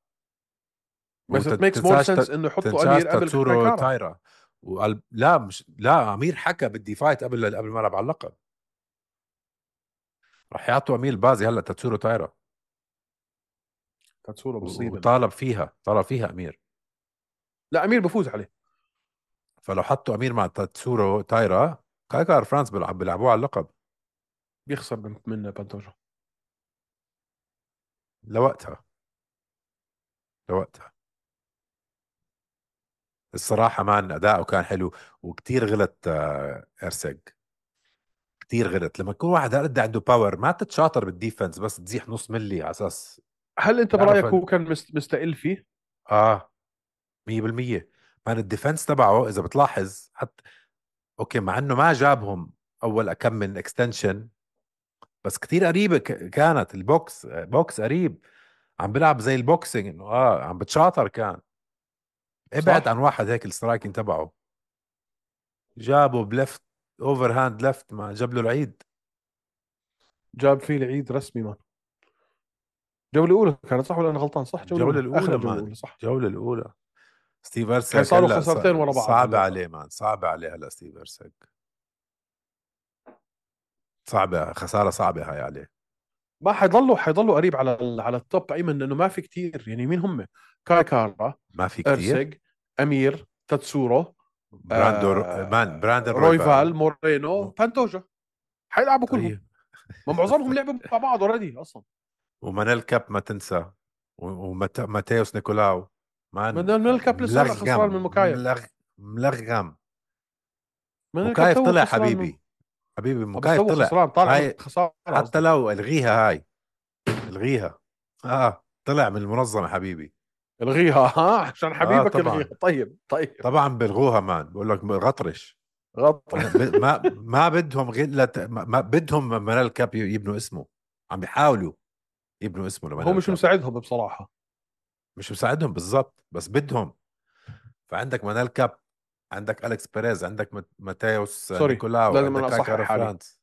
S2: بس it makes more
S1: وتنساش
S2: sense انه يحطوا
S1: تنساش
S2: امير قبل كاي
S1: تاتسورو
S2: كارا.
S1: تايرا. وقال لا مش لا امير حكى بدي فايت قبل قبل ما العب على اللقب. راح يعطوا امير بازي هلا تاتسورو تايرا.
S2: كانت صورة
S1: و-
S2: مصيبة مان.
S1: وطالب فيها، طالب فيها امير.
S2: لا امير بفوز عليه.
S1: فلو حطوا امير مع تاتسورو تايرا، كاي كار فرانس بيلعب بيلعبوه على اللقب.
S2: بيخسر من من بانتوجا.
S1: لوقتها لوقتها الصراحة مان أداؤه كان حلو. وكتير غلط آه، إرسج. كتير غلط لما يكون واحد هالقد عنده باور، ما تتشاطر بالديفنس بس تزيح نص ملي على أساس
S2: هل انت
S1: تعرف.
S2: برايك هو كان مست- مستقل فيه؟
S1: آه مية بالمية. مان الديفنس تبعه إذا بتلاحظ حتى، أوكي مع إنه ما جابهم أول كم من اكستنشن، بس كتير قريبة ك- كانت البوكس بوكس قريب. عم بلعب زي البوكسينج إنه آه عم بتشاطر كان. ابعد
S2: صح.
S1: عن واحد هيك السترايكين تبعه. جابه بلفت، اوفر هاند لفت، ما جاب له العيد.
S2: جاب فيه العيد رسمي مان. جولة أولى كانت صح ولا أنا غلطان؟ صح جولة
S1: الجولة
S2: أولى، آخر
S1: الأولى
S2: الجولة
S1: مان،
S2: الأولى صح.
S1: الجولة الأولى. ستيف
S2: هاي
S1: ارسك
S2: صاروا
S1: هلا ص-
S2: خسارتين ورا بعض
S1: صعب
S2: هلا.
S1: عليه مان، صعب عليه هلا ستيف ارسك. صعبة، خسارة صعبة هاي عليه.
S2: ما حيضلوا حيضلوا قريب على ال... على التوب ايمن، لانه ما في كتير يعني. مين هم؟ كاي كارا،
S1: ما في كتير.
S2: ارسج، امير، تاتسورو،
S1: براندو مان
S2: آه...
S1: براندن رويفال.
S2: رويفال، مورينو،
S1: م-
S2: بانتوجا. حيلعبوا كلهم.
S1: طيب.
S2: ما معظمهم لعبوا مع بعض اوريدي اصلا.
S1: ومانيل كاب ما تنسى. وماتيوس نيكولاو. مان
S2: من الكاب لسه هلا خسران من
S1: ملغم
S2: مكايف.
S1: ملغ ملغم.
S2: من الكاب
S1: مكايف
S2: تو
S1: طلع
S2: خسران من.
S1: حبيبي. حبيبي
S2: آه، بس
S1: مكايف
S2: تو
S1: طلع
S2: خسران طالع من
S1: هاي.
S2: خساره
S1: حتى
S2: قصدك.
S1: لو الغيها هاي، الغيها. اه طلع من المنظمة حبيبي.
S2: الغيها ها عشان
S1: اه
S2: حبيبك الغيها.
S1: طبعا.
S2: طيب طيب.
S1: طبعا بلغوها مان، بقول لك غطرش.
S2: غلط.
S1: ما ما ما بدهم غير لت... ما ما بدهم منال كاب يبنوا اسمه. عم بيحاولوا يبنوا اسمه
S2: هو
S1: لمنال
S2: مش
S1: كاب.
S2: مساعدهم بصراحه.
S1: مش مساعدهم بالضبط بس بدهم. فعندك منال كاب، عندك أليكس بيريز، عندك مات- ماتيوس
S2: سوري،
S1: نيكولاو،
S2: لازم
S1: عندك
S2: انا اصحح
S1: كاكارو
S2: حالي.
S1: فرانس.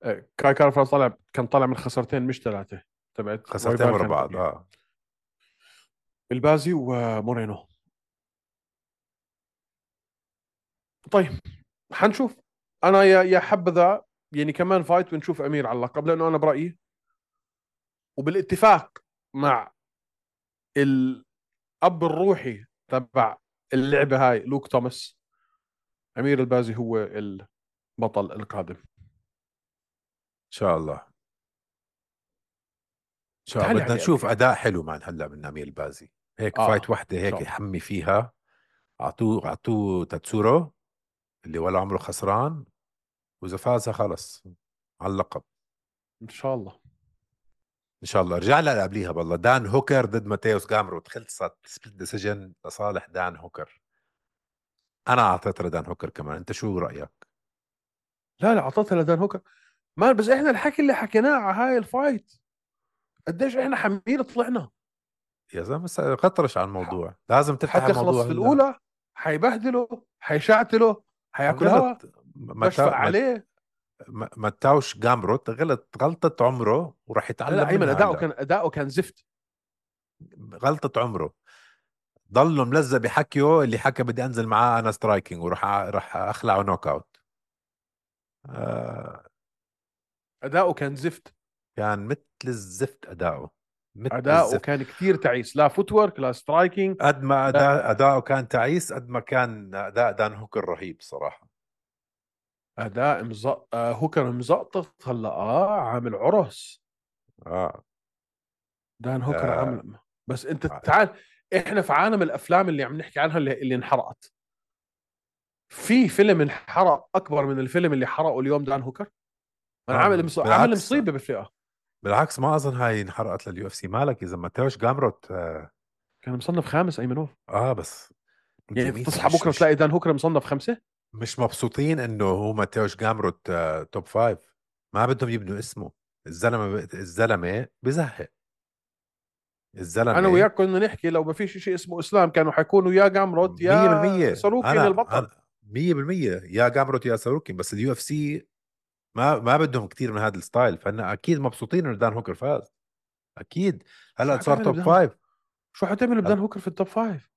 S2: آه، كاي كارفا طلع، كان طالع من خسارتين مش ثلاثه. تبعت
S1: خسرتين
S2: رويفال
S1: ورا
S2: كانت
S1: بعض
S2: قبلها.
S1: اه.
S2: البازي ومورينو. طيب حنشوف. انا يا يا حبذا يعني كمان فايت ونشوف امير على اللقب، لانه انا برايي وبالاتفاق مع الاب الروحي تبع اللعبه هاي لوك توماس، امير البازي هو البطل القادم.
S1: ان شاء الله. ان شاء الله
S2: تعالي
S1: بدنا
S2: على
S1: نشوف
S2: امير.
S1: اداء حلو مان هلا من امير بازي. هيك فايت
S2: اه
S1: وحده
S2: ان شاء
S1: هيك
S2: الله.
S1: يحمي فيها. اعطوه اعطوه تاتسورو اللي ولا عمره خسران. واذا فازها خلص على اللقب.
S2: ان شاء الله.
S1: ان شاء الله. رجع لها قبليها بالله دان هوكر ضد ماتيوس جامرو، خلصت سبليت ديسيجن لصالح دان هوكر. انا اعطيت لدان هوكر كمان، انت شو رايك؟
S2: لا لا اعطتها لدان هوكر. ما بس احنا الحكي اللي حكيناه على هاي الفايت قديش احنا حمير طلعنا.
S1: يا زلمه س- خطرش على
S2: ح-
S1: الموضوع، لازم تفتح
S2: حتخلص
S1: الموضوع
S2: في
S1: هلا.
S2: الاولى، حيبهدله، حيشعتله، حياكل هوا،
S1: غلط.
S2: بشفق
S1: متى مت...
S2: عليه.
S1: متاوش جامروت غلط غلطة عمره وراح
S2: لا لا
S1: يتعلم
S2: ايمن،
S1: منها
S2: اداؤه
S1: هلا.
S2: كان اداؤه كان زفت.
S1: غلطة عمره. ضله ملزق بحكيه اللي حكى بدي انزل معاه انا سترايكينج وراح أ- راح اخلعه نوك اوت. آه
S2: اداؤه كان زفت.
S1: كان مثل الزفت اداؤه، مثل
S2: اداؤه
S1: الزفت.
S2: كان كثير تعيس، لا فوتورك لا سترايكينج.
S1: قد ما اداء
S2: لا،
S1: اداؤه كان تعيس، قد ما كان اداء دان هوكر رهيب صراحة.
S2: اداء مزق... آه هوكر مزقطط هلا، اه عامل عرس.
S1: اه,
S2: دان هوكر
S1: آه.
S2: عامل. بس انت تعال، احنا في عالم الافلام اللي عم نحكي عنها اللي, اللي انحرقت. في فيلم انحرق اكبر من الفيلم اللي حرقه اليوم دان هوكر؟ انا عامل
S1: آه.
S2: مص... عامل
S1: بالعكس،
S2: مصيبه بالفئه.
S1: بالعكس ما اظن هاي انحرقت لليو اف سي. مالك اذا ماتيوش جامروت آه,
S2: كان مصنف خامس ايمنوف.
S1: اه بس
S2: يعني
S1: زميلي
S2: تصحى
S1: مش
S2: بكره
S1: مش
S2: تلاقي دان هوكر مصنف خمسه.
S1: مش مبسوطين انه هو ماتيوش جامروت آه توب فايف. ما بدهم يبنوا اسمه. الزلمه ب... الزلمه بزهق.
S2: انا
S1: الزلمه
S2: وياك كنا نحكي لو ما فيش شيء اسمه اسلام كانوا حيكونوا يا جامروت
S1: مية
S2: يا
S1: بالمية.
S2: ساروكين
S1: انا
S2: البطل.
S1: انا مية بالمية يا جامروت يا ساروكين، بس اليو اف سي ما ما بدهم كتير من هذا الستايل، فانا اكيد مبسوطين انه دان هوكر فاز. اكيد.
S2: شو
S1: هلا صار
S2: حتعمل
S1: توب
S2: بدان
S1: فايف.
S2: شو حتعمل بدان
S1: هلا
S2: هوكر في التوب فايف؟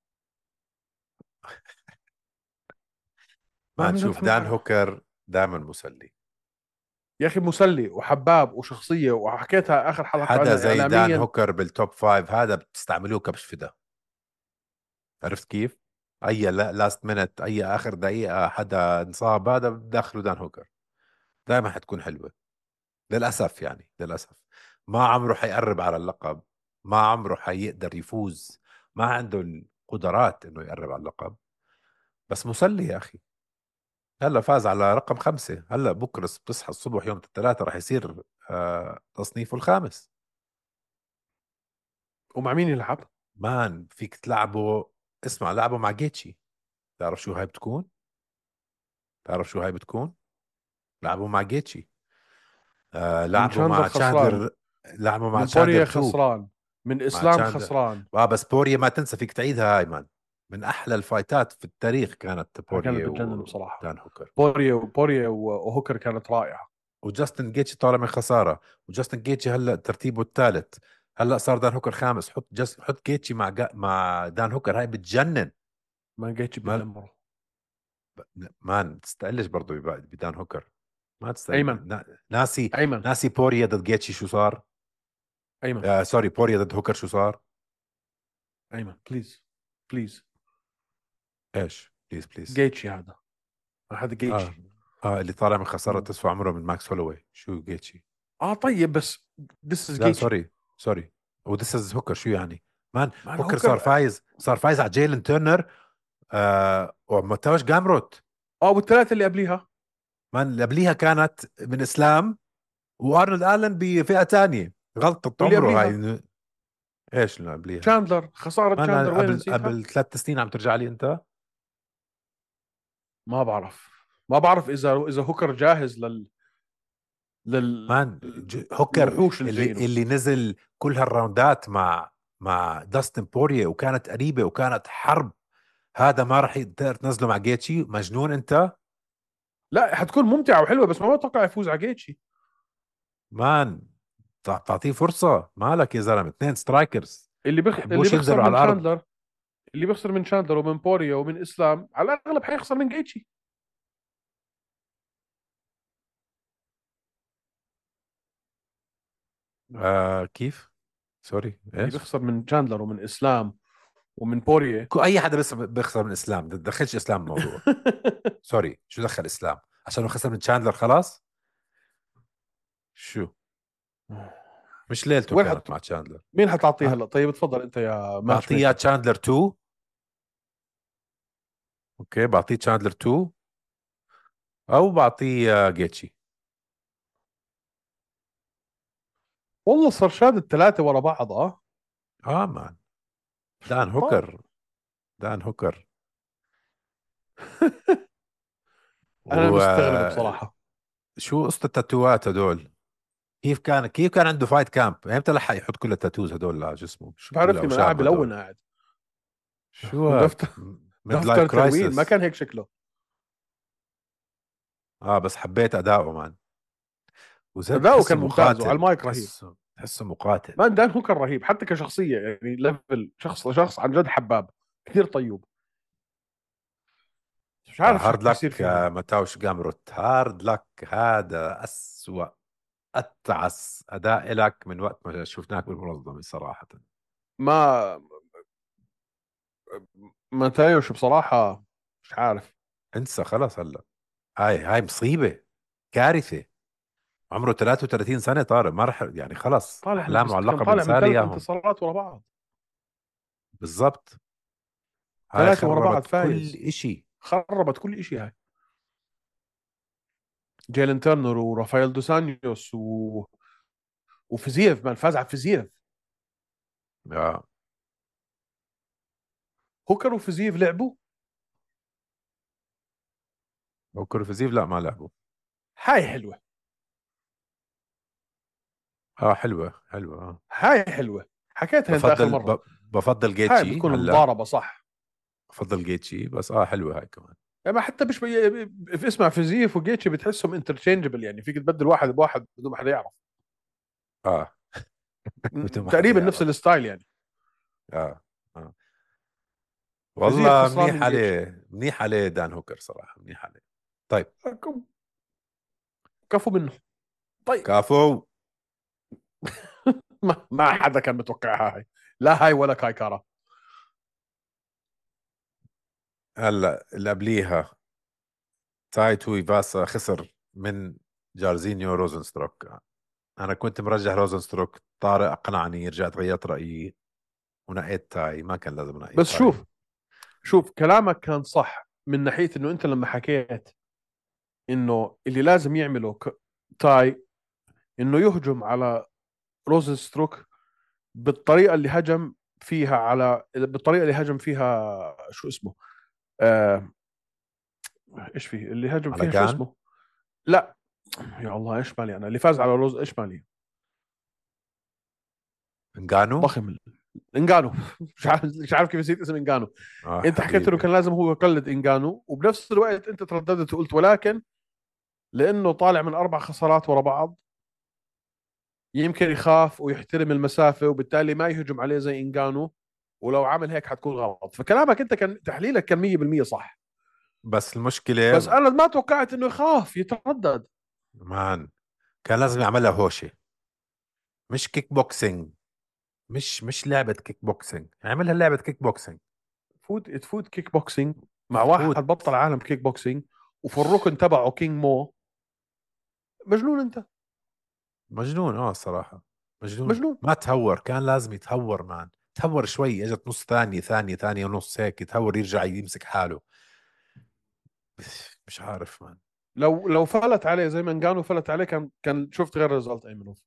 S2: ما
S1: ما
S2: عم
S1: نشوف.
S2: نفهم
S1: دان
S2: حاجه.
S1: هوكر دائما مسلي.
S2: يا اخي مسلي وحباب وشخصيه، وحكيتها اخر حلقه
S1: حدا
S2: انه
S1: زي دان
S2: اعلاميا.
S1: هوكر بالتوب فايف هذا بتستعملوه كبش فدا. عرفت كيف؟ اي لا لاست مينت، اي اخر دقيقة حدا انصاب هذا بدخلوا دان هوكر. دائما حتكون حلوة. للاسف يعني للاسف. ما عمره حيقرب على اللقب. ما عمره حيقدر يفوز. ما عنده القدرات انه يقرب على اللقب. بس مسلي يا اخي. هلا فاز على رقم خمسة. هلا بكره بتصحى الصبح يوم الثلاثاء راح يصير آه تصنيفه الخامس.
S2: ومع مين يلعب؟
S1: مان فيك تلعبه. اسمع، لعبه مع جيتشي. تعرف شو هاي بتكون؟ تعرف شو هاي بتكون؟ لعبوا مع جيتشي. آه
S2: من
S1: لعبوا
S2: شاندلر
S1: مع
S2: خسران،
S1: تشاندلر. لعبوا مع
S2: من
S1: تشاندلر
S2: بوريا
S1: تو.
S2: خسران، من
S1: مع
S2: اسلام
S1: تشاندلر.
S2: خسران.
S1: اه بس بوريا ما تنسى فيك تعيدها هاي مان. من احلى الفايتات في التاريخ كانت
S2: ها كانت
S1: بوريا
S2: بتجنن بصراحه.
S1: ودان هوكر.
S2: بوريا وبوريا وهوكر كانت رائعه.
S1: وجاستن جيتشي طالع من خسارة. وجاستن جيتشي هلا ترتيبه الثالث. هلا صار دان هوكر خامس. حط جست حط جيتشي مع جا... مع دان هوكر هاي بتجنن.
S2: ما جيتش
S1: ما
S2: بدمره.
S1: مان تستقلش برضه بب- بدان هوكر. ما
S2: ايمن،
S1: تستقل نا... ناسي.
S2: ايمن،
S1: ناسي بوريا ضد جيتشي شو صار.
S2: ايمن،
S1: آه سوري، بوريا ضد هوكر شو صار.
S2: ايمن بليز، بليز.
S1: ايش بليز بليز.
S2: جيتشي هذا، هذا
S1: اه
S2: جيتشي.
S1: اه اللي طالع من خسارة
S2: و...
S1: تسوى عمره من ماكس هولوي شو جيتشي.
S2: اه طيب بس ذس از
S1: لا
S2: جيتشي.
S1: سوري. سوري. وذس از هوكر شو يعني. مان
S2: مان
S1: هوكر صار
S2: هوكر.
S1: فايز. صار فايز على جيلن تيرنر. آه ومتوش جامروت.
S2: اه والثلاثه اللي قبليها.
S1: مان اللي قبليها كانت من اسلام. وارنولد الن بفئة تانية. غلطة
S2: واللي
S1: عمره
S2: قبليها
S1: هاي. ايش اللي قبليها.
S2: تشاندلر، خساره
S1: ما انا
S2: تشاندلر وين
S1: قبل
S2: نسيتها؟
S1: قبل ثلاث سنين عم ترجع لي انت.
S2: ما بعرف، ما بعرف اذا اذا هوكر جاهز لل لل
S1: مان ج- هوكر
S2: الوحوش اللي
S1: اللي
S2: جايينه.
S1: اللي نزل كل هالراوندات مع مع داستن بوريه وكانت قريبه وكانت حرب. هذا ما راح تقدر تنزله مع جيتشي. مجنون انت.
S2: لا حتكون ممتعه وحلوه، بس ما بتوقع يفوز على جيتشي.
S1: مان تع- تعطيه فرصه. مالك يا زلمه، اثنين سترايكرز.
S2: اللي بخ... اللي
S1: بحبوش
S2: بيخسر
S1: ينزلوا على
S2: من
S1: الارض.
S2: شاندلر، اللي بيخسر من شاندلر ومن بوريا ومن اسلام على الاغلب حيخسر من جيتشي.
S1: آه كيف. سوري
S2: اللي
S1: ايش.
S2: بيخسر من شاندلر ومن اسلام ومن بوريا.
S1: كو- اي حدا بس بيخسر من اسلام. ما تدخلش اسلام الموضوع. سوري شو دخل اسلام. عشان خسر من تشاندلر خلاص. شو. مش ليلته
S2: وين حت
S1: كانت مع تشاندلر.
S2: مين حتعطيه
S1: آه.
S2: هلا؟ طيب تفضل انت يا ماتش
S1: بعطيه
S2: ميكر.
S1: تشاندلر تو. اوكي بعطيه تشاندلر تو. او بعطيه آه، جيتشي.
S2: والله صار شاد الثلاثه ورا بعض اه.
S1: اه مان.
S2: شو
S1: دان
S2: بطال.
S1: هوكر. دان هوكر.
S2: انا مستغرب
S1: وشو
S2: بصراحه.
S1: قصة التاتوات هدول. كيف كان كيف كان عنده فايت كامب؟ امتى لحق يحط كل التاتوز هدول على جسمه؟
S2: شو
S1: كل
S2: بعرفني، ما قاعد
S1: الاوشام هدول؟
S2: بلون قاعد.
S1: شو
S2: دفتر
S1: هاد؟ ميد لايف
S2: دفتر تلوين، ما
S1: كرايسس.
S2: كان هيك شكله.
S1: اه بس حبيت اداؤه مان. وزي
S2: أداؤه كان
S1: بتحسه
S2: ممتاز وعلى
S1: مقاتل،
S2: المايك رهيب.
S1: تحسه تحسه مقاتل.
S2: مان دان هوكر رهيب حتى كشخصية، يعني ليفل شخص لشخص عن جد حباب، كثير طيوب. مش عارف شو
S1: هارد
S2: يصير
S1: لك
S2: فيه هلا.
S1: ماتاوش جامروت، هارد لك. هذا أسوأ أتعس أداء لك من وقت ما شفناك بالمنظمة صراحة.
S2: ما ما تايوش بصراحة، مش عارف.
S1: انسى خلص هلا. هاي هاي مصيبة، كارثة. عمره ثلاثة وثلاثين سنة طارق، ما رح يعني خلص
S2: طالع من
S1: أحلامه
S2: بس
S1: على
S2: كان
S1: اللقب
S2: طالع من
S1: انسى لي
S2: ثلاث
S1: إياهم.
S2: انتصارات ورا بعض.
S1: بالضبط. هاي
S2: ثلاثة ورا بعض
S1: خربت كل
S2: فايز.
S1: إشي.
S2: خربت كل شيء هاي. جيلين تيرنر ورافائيل دوسانيوس و... وفيزييف، مان فاز على فيزييف.
S1: آه.
S2: هوكر وفيزييف لعبوا.
S1: وكورفزيف لا ما لعبوا.
S2: هاي حلوة.
S1: اه حلوة حلوة آه.
S2: هاي حلوة، حكيتها انت اخر
S1: بفضل
S2: مرة.
S1: ب... بفضل
S2: هاي
S1: جيتشي
S2: بتكون
S1: هلا.
S2: مضاربة صح.
S1: بفضل جيتشي بس اه حلوة هاي كمان.
S2: يعني حتى مش بي... في اسمع فيزييف وجيتشي بتحسهم انترتشينجبل، يعني فيك تبدل واحد بواحد بدون ما حدا يعرف.
S1: اه بدون ما حدا
S2: تقريبا نفس
S1: يعرف.
S2: الستايل يعني.
S1: اه اه
S2: فيزييف
S1: والله
S2: خسران
S1: منيح
S2: من جيتشي.
S1: عليه، منيح عليه دان هوكر صراحة، منيح عليه. طيب.
S2: كفو منه. طيب.
S1: كافو.
S2: ما, ما حدا كان متوقعها هاي، لا هاي ولا كاي كارا.
S1: هلا اللي قبليها تاي توي فاسا خسر من جارزينيو روزنستروك. انا كنت مرجح روزنستروك، طارق اقنعني، رجعت غيرت رايي ونقيت تاي. ما كان لازم انقي
S2: بس
S1: تاي.
S2: شوف، شوف كلامك كان صح من ناحية انه انت لما حكيت انه اللي لازم يعمله ك... تاي انه يهجم على روزنستروك بالطريقة اللي هجم فيها على بالطريقة اللي هجم فيها شو اسمه، آه... ايش فيه اللي هجم
S1: على
S2: فيها شو
S1: كان
S2: اسمه. لا، يا الله ايش مالي انا اللي فاز على روز، ايش مالي.
S1: انجانو.
S2: ضخم. انجانو. مش عارف مش عارف كيف نسيت اسم انجانو.
S1: اه
S2: انت حكيت انه
S1: حبيبي.
S2: كان لازم هو يقلد انجانو، وبنفس الوقت انت ترددت وقلت ولكن لانه طالع من اربع خسارات ورا بعض يمكن يخاف ويحترم المسافه وبالتالي ما يهجم عليه زي انجانو، ولو عمل هيك حتكون غلط. فكلامك انت كان تحليلك كان مية بالمية صح.
S1: بس
S2: بس
S1: المشكلة
S2: انا ما توقعت انه يخاف يتردد.
S1: مان، كان لازم يعملها هوشة، مش كيك بوكسينج. مش مش لعبة كيك بوكسينج، اعملها لعبة كيك بوكسينج.
S2: تفوت تفوت كيك بوكسينج مع
S1: فوت.
S2: واحد بطل عالم كيك بوكسينج وفي الركن تبعه كينج مو. مجنون انت.
S1: مجنون اه صراحة. مجنون.
S2: مجنون.
S1: ما تهور، كان لازم يتهور مان. تهور شوي، اجت نص ثانية، ثانية ثانية ونص هيك يتهور، يرجع يمسك حاله. مش عارف مان.
S2: لو لو فلت عليه زي ما انجانو فلت عليه كان كان شفت غير ريزلت ايمنوف.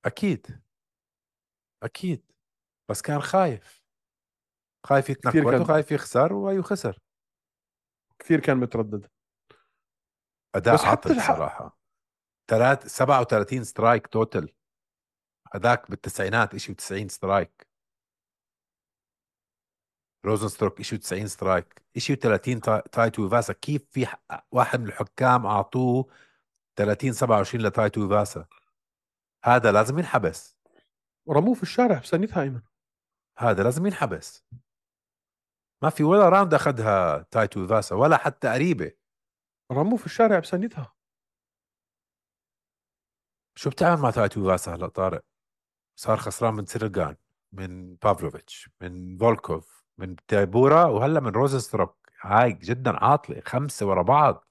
S1: اكيد اكيد. بس كان خايف، خايف
S2: كثير
S1: يتنكد
S2: كان
S1: وخايف يخسر وايو خسر.
S2: كثير كان متردد.
S1: اداء
S2: بس حتى
S1: عاطل
S2: الحق.
S1: صراحة. ثلاث سبعة وثلاثين سترايك توتل. هذاك بالتسعينات اشي و90 سترايك. روزنستروك اشي و90 سترايك، اشي و30 تا- تايتو فاسا. كيف في ح- واحد من الحكام اعطوه ثلاثين سبعة وعشرين لتايتو فاسا؟ هذا لازم ينحبس.
S2: رموه في الشارع بسنتها ايمن.
S1: هذا لازم ينحبس. ما في ولا راوند اخذها تايتو فاسا ولا حتى قريبة.
S2: رموه في الشارع بسنتها.
S1: شو بتعمل مع تايتو فاسا هلا طارق؟ صار خسران من سيرجان، من بافلوفيتش، من فولكوف، من تايبورا، وهلا من روزنستروك. هاي جدا عاطلة، خمسة ورا بعض.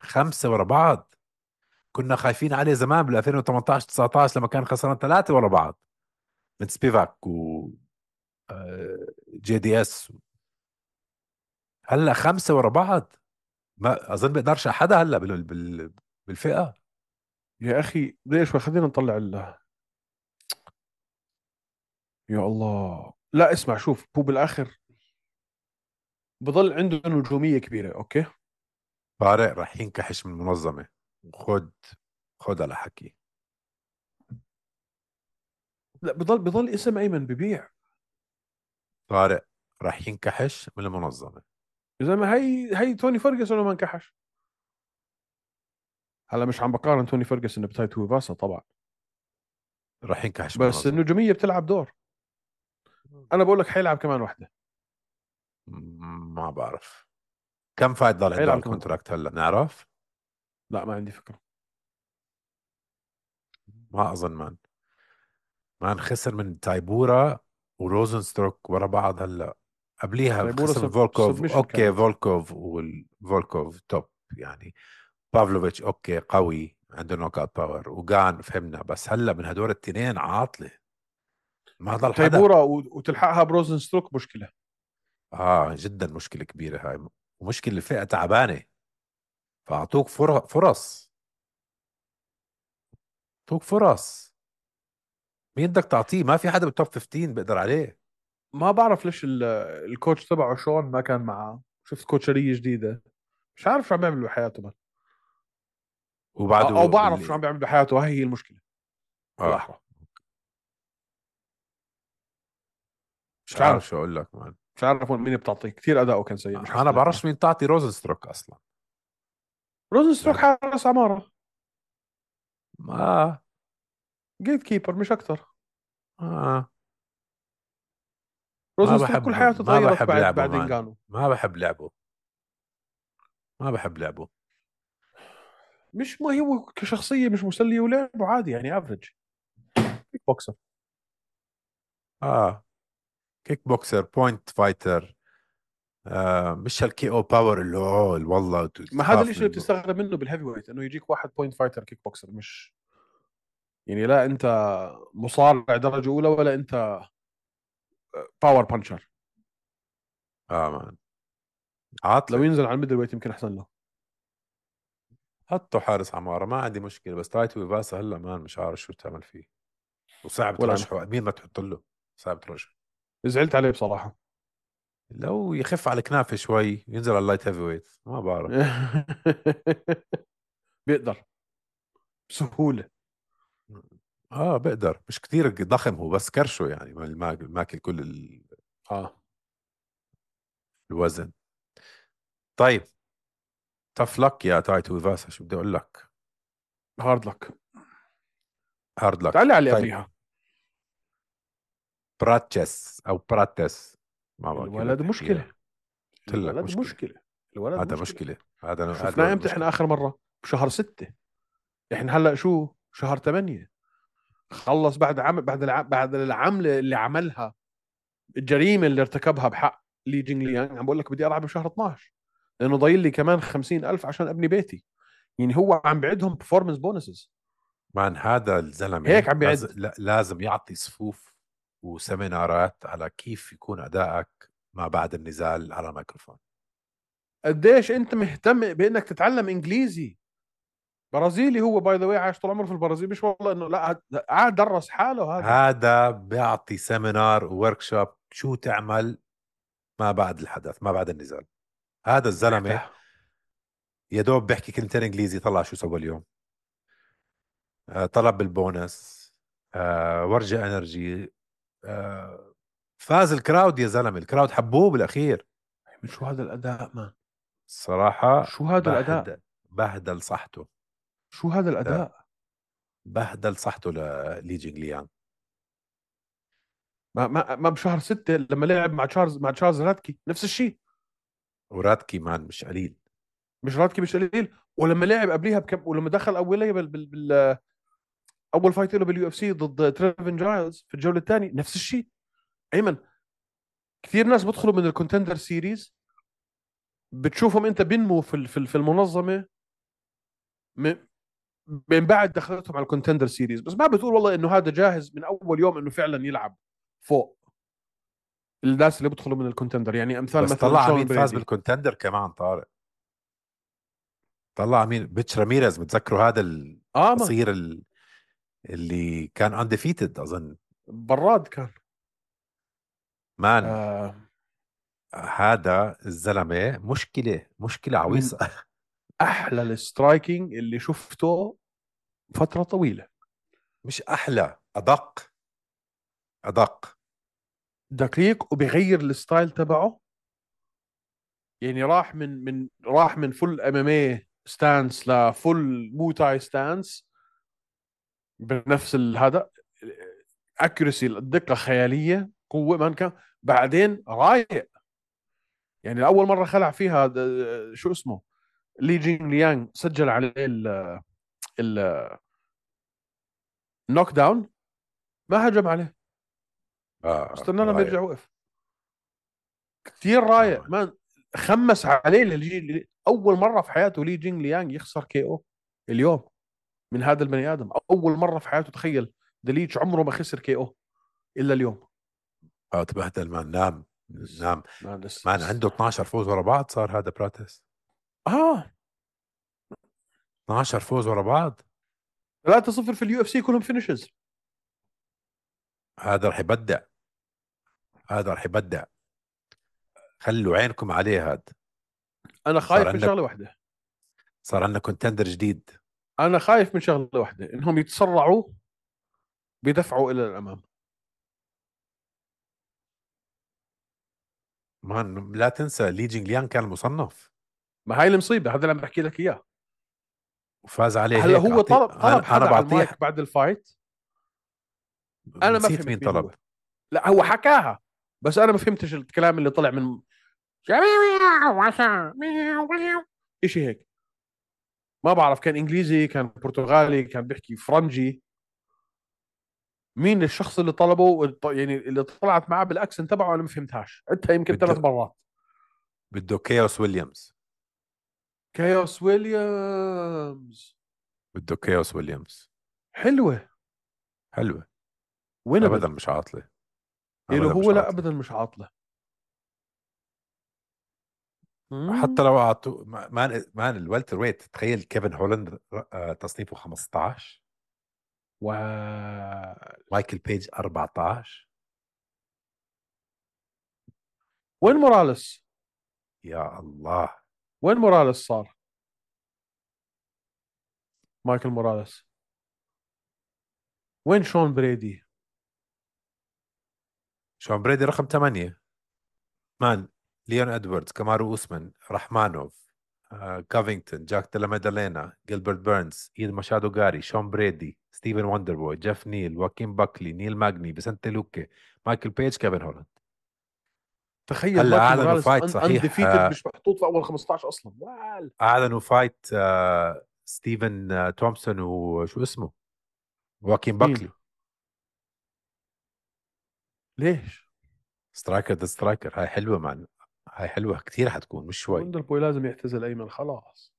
S1: خمسة ورا بعض. كنا خايفين عليه زمان بال ألفين وثمانية عشر تسعطعش لما كان خسران ثلاثة ورا بعض من سبيفاك و آه، جي دي اس. هلا خمسة ورا بعض. ما اظن بيقدرش حدا هلا بال... بال... بالفئة.
S2: يا اخي ليش ما خلينا نطلع الله. يا الله لا اسمع شوف هو بالاخر بضل عنده نجوميه كبيره اوكي.
S1: طارق راح ينكحش من المنظمة. خد خد على حكي.
S2: لا، بضل بضل اسم ايمن ببيع.
S1: طارق راح ينكحش من المنظمة.
S2: يا زلمه، هي هي توني فيرجسون وما انكحش. هلا مش عم بقارن توني فيرجسون بتايتو ويفاسا طبعا،
S1: راح ينكحش من
S2: بس
S1: المنظمة.
S2: النجوميه بتلعب دور. انا بقول لك حيلعب كمان واحده.
S1: م- ما بعرف كم فايت ضل عنده على
S2: حيلعب كمان.
S1: الكونتراكت هلا نعرف.
S2: لا، ما عندي فكره.
S1: ما اظن مان. مان خسر من تايبورا وروزن ستروك ورا بعض هلا. قبليها
S2: تايبورا
S1: خسر من
S2: سب
S1: فولكوف.
S2: سبمشن
S1: اوكي
S2: كانت.
S1: فولكوف والفولكوف توب يعني. بافلوفيتش اوكي قوي عنده نوك اوت باور وقان فهمنا، بس هلا من هدول التنين عاطله. ما ضل حدا.
S2: تايبورا و- وتلحقها بروزن ستروك مشكله.
S1: اه جدا مشكله كبيره هاي. ومشكله الفئه تعبانه. فاعطوك فر- فرص. اعطوك فرص. مين بدك تعطيه؟ ما في حدا بالتوب خمستاشر بيقدر عليه.
S2: ما بعرف ليش ال- الكوتش تبعه شون ما كان معاه. شفت كوتشريه جديده، مش عارف شو عم بيعمل بحياته بقى. او أو
S1: وبعده
S2: بعرف شو عم
S1: بال
S2: بيعمل بحياته، هاي هي المشكله
S1: اه
S2: بالاحرى.
S1: مش
S2: مش
S1: عارف
S2: عارف
S1: شو اقول لك مان.
S2: مش عارف وين مين بتعطيه. كثير اداؤه كان سيء، مش
S1: انا
S2: حختلف
S1: بعرفش
S2: معك.
S1: مين تعطي روزن ستروك اصلا.
S2: روزن ستروك
S1: لهد...
S2: حارس عماره،
S1: ما
S2: جيت كيبر مش اكثر.
S1: آه. ما
S2: روزن ستروك كل
S1: بحب
S2: حياته
S1: ما
S2: تغيرت
S1: بحب
S2: بعد
S1: لعبه
S2: بعد
S1: مان.
S2: انجانو.
S1: ما بحب لعبه. ما بحب لعبه.
S2: مش ما هو كشخصيه مش مسليه، ولعبه عادي يعني افريج كيك بوكسر.
S1: اه كيك بوكسر بوينت فايتر. آه مش هالكي او باور اللي هو والله
S2: ما هذا
S1: تخاف
S2: الشيء اللي
S1: منه.
S2: بتستغرب منه بالهيفي ويت، انه يجيك واحد بوينت فايتر كيك بوكسر. مش يعني لا انت مصارع درجه اولى ولا انت باور بانشر.
S1: اه مان
S2: لو
S1: عاطله.
S2: ينزل على الميدل ويت يمكن احسن له.
S1: حطوا حارس عمارة ما عندي مشكلة، بس تايتو ويفاسا هلا مان مش عارف شو تعمل فيه. وصعب
S2: ولا انا
S1: ترشحه، مين ما تحط له صعب ترشحه.
S2: زعلت عليه بصراحه.
S1: لو يخف على الكنافة شوي ينزل على اللايت هيفي ويت ما بعرف.
S2: بيقدر بسهوله.
S1: اه بقدر مش كتير ضخم هو، بس كرشه يعني ما- ماكل كل ال-
S2: اه،
S1: الوزن. طيب تف لك يا تايتو ويفاسا، شو بدي اقول لك.
S2: هارد لك.
S1: هارد
S2: تعال
S1: لك.
S2: على اللي
S1: طيب
S2: قبليها.
S1: براتشيس او براتس، ما بعرف كيف بدك
S2: الولد مشكله.
S1: تحكيها. قلت لك
S2: الولد
S1: مشكلة.
S2: مشكله. الولد
S1: هذا
S2: مشكله.
S1: مشكلة. هذا هذا
S2: شفناه
S1: الولد
S2: امتى احنا
S1: مشكلة.
S2: اخر مره؟ بشهر ستة. احنا هلا شو شهر ثمانية. خلص بعد عم بعد الع... بعد العمله اللي عملها، الجريمه اللي ارتكبها بحق لي جينغ ليانغ. عم بقول لك بدي العب بشهر اثناشر، لانه ضايل لي كمان خمسين ألف عشان ابني بيتي. يعني هو عم بعدهم performance bonuses.
S1: مان هذا الزلمة
S2: هيك عم
S1: لازم
S2: بيعد.
S1: لازم يعطي صفوف وسيمينارات على كيف يكون أدائك ما بعد النزال على الميكروفون.
S2: قديش انت مهتم بانك تتعلم انجليزي؟ برازيلي هو باي ذا واي، عايش طول عمره في البرازيل. مش والله انه لا، قاعد درس حاله هذا.
S1: هذا بيعطي سيمينار وورك شوب شو تعمل ما بعد الحدث ما بعد النزال. هذا الزلمة
S2: محتاج.
S1: يا دوب بيحكي كلمتين انجليزي طلع شو سوى اليوم. آه طلب بالبونس. آه ورجع انرجي. آه فاز الكراود يا زلمة، الكراود حبوه بالاخير.
S2: من شو هذا الاداء مان؟
S1: الصراحة
S2: شو هذا الاداء؟
S1: بهدل بهدل صحته.
S2: شو هذا
S1: لا
S2: الاداء؟
S1: بهدل صحته للي جينغليان.
S2: ما ما ما بشهر ستة لما لعب مع تشارلز مع تشارلز راتكي نفس الشيء.
S1: وراتكي مان مش قليل.
S2: مش راتكي مش قليل. ولما لعب قبليها بكم، ولما دخل اوليه بال... بال... بال... اول فايت له باليو اف سي ضد تريفن جايلز في الجوله الثانيه نفس الشيء. ايمن، كثير ناس بدخلوا من الكونتندر سيريز، بتشوفهم انت بينموا في ال- في ال- في المنظمه م- من بعد دخلتهم على الكونتندر سيريز، بس ما بتقول والله انه هذا جاهز من اول يوم انه فعلا يلعب فوق الناس اللي بدخلوا من الكونتندر. يعني امثال
S1: بس
S2: مثلا
S1: طلع على
S2: شون
S1: مين فاز
S2: بريدي.
S1: بالكونتندر كمان طارق. طلع على مين؟ بيتش راميريز، متذكروا هذا
S2: اه ما
S1: القصير ال- اللي كان انديفيتد اظن.
S2: براد كان.
S1: مان
S2: آه
S1: هذا الزلمه مشكله مشكله
S2: من
S1: عويصه.
S2: احلى السترايكينج اللي شفته فتره طويله.
S1: مش احلى ادق. ادق.
S2: دقيق وبيغير الستايل تبعه. يعني راح من من راح من فل ام ام اي ستانس لفل موتاي ستانس بنفس هذا. اكيرسي، الدقه خياليه، قوه ما كان. بعدين رايق. يعني اول مره خلع فيها د- شو اسمه لي جين ليانغ سجل عليه ال النوك داون، ما هجم عليه،
S1: اه
S2: استنى لما
S1: رايق.
S2: يرجع وقف. كثير رايق
S1: آه.
S2: مان. خمس عليه للجي. اول مره في حياته لي جين ليانغ يخسر كي او اليوم من هذا البني ادم. اول مره في حياته، تخيل، دليتش عمره ما خسر كي او الا اليوم.
S1: اه تبهدل مان، نام.
S2: بس
S1: نام.
S2: ما بس
S1: مان
S2: بس
S1: عنده اثناشر فوز ورا بعض صار هذا براتس.
S2: اه
S1: اثناشر فوز ورا بعض.
S2: ثلاثة صفر في اليو اف سي كلهم فينيشز.
S1: هذا رح يبدع. هذا رح يبدع. خلوا عينكم عليه هذا.
S2: انا
S1: صار
S2: خايف من
S1: عندك
S2: شغله واحده.
S1: صار عندنا كونتندر جديد.
S2: انا خايف من شغله واحده، انهم يتسرعوا بيدفعوا الى الامام.
S1: مان لا تنسى لي جينغ ليان كان مصنف
S2: ما هاي المصيبه، هذا اللي عم بحكي لك اياه.
S1: وفاز عليه
S2: هلا
S1: هيك.
S2: هو
S1: أعطي
S2: طلب طلب
S1: انا انا
S2: حدا على
S1: بعطيه.
S2: المايك بعد الفايت. انا ما
S1: نسيت مين
S2: فهمت مين
S1: طلب.
S2: هو. لا هو حكاها، بس انا ما فهمتش الكلام اللي طلع من اشي هيك. ما بعرف، كان انجليزي، كان برتغالي، كان بيحكي فرنجي. مين الشخص اللي طلبه، يعني اللي طلعت معاه بالاكسنت تبعه، انا ما فهمتهاش، عدتها يمكن ثلاث
S1: بده
S2: مرات.
S1: بده كيوس ويليامز.
S2: كايوس ويليامز.
S1: بده كيوس ويليامز.
S2: حلوه.
S1: حلوة. ابدا
S2: وينبل.
S1: مش عاطلة.
S2: له
S1: ابدا
S2: هو
S1: مش
S2: لا
S1: عاطلة.
S2: ابدا مش عاطله.
S1: حتى
S2: مم.
S1: لو اعطوا مان مان الوالتر ويت، تخيل كيفن هولاند آه، تصنيفه خمستاشر.
S2: و
S1: مايكل بيج اربعتاشر.
S2: وين موراليس؟
S1: يا الله.
S2: وين موراليس صار؟ مايكل موراليس. وين شون بريدي؟
S1: شون بريدي رقم ثمانية. مان ليون ادواردز، كامارو اوسمان، رحمانوف، آه، كافينغتون، جاك ديلا ميدالينا، جيلبرت بيرنز، ايد ماشادو غاري، شون بريدي، ستيفن وندربوي، جيف نيل، واكين باكلي، نيل ماجني، بيسنتي لوكي، مايكل بيج، كيفن هولاند.
S2: تخيل
S1: هلا
S2: مايكل
S1: اعلنوا
S2: موراليس
S1: فايت صحيح.
S2: انديفيتد،
S1: آه،
S2: مش محطوط في اول خمستاشر اصلا. وال
S1: اعلنوا فايت آه، ستيفن آه، تومسون وشو اسمه واكين
S2: مين؟
S1: باكلي.
S2: ليش؟
S1: سترايكر ذا سترايكر. هاي حلوة مان. هاي حلوة كثير حتكون مش شوي.
S2: وندر بوي لازم يعتزل ايمن، خلاص.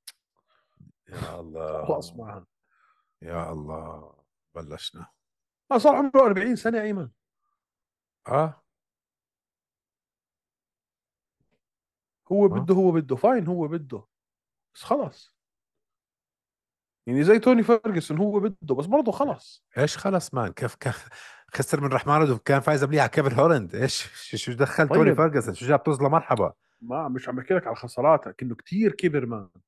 S1: يا
S2: خلاص
S1: الله.
S2: معنا.
S1: يا الله. بلشنا.
S2: ما صار عمره أربعين سنه ايمن.
S1: اه.
S2: هو
S1: اه
S2: بده هو بده فاين، هو بده. بس خلاص. يعني زي توني فيرجسون، هو بده بس برضه خلاص.
S1: ايش خلص مان، كيف كان خسر من رحمانov، كان فايز قبليها على كيفن هولاند. ايش شو شو دخل توني
S2: طيب،
S1: فيرجسون، شو جاب طزله مرحبا.
S2: ما مش عم بحكي لك على الخسارات، لكنه كثير كبر مان.
S1: بس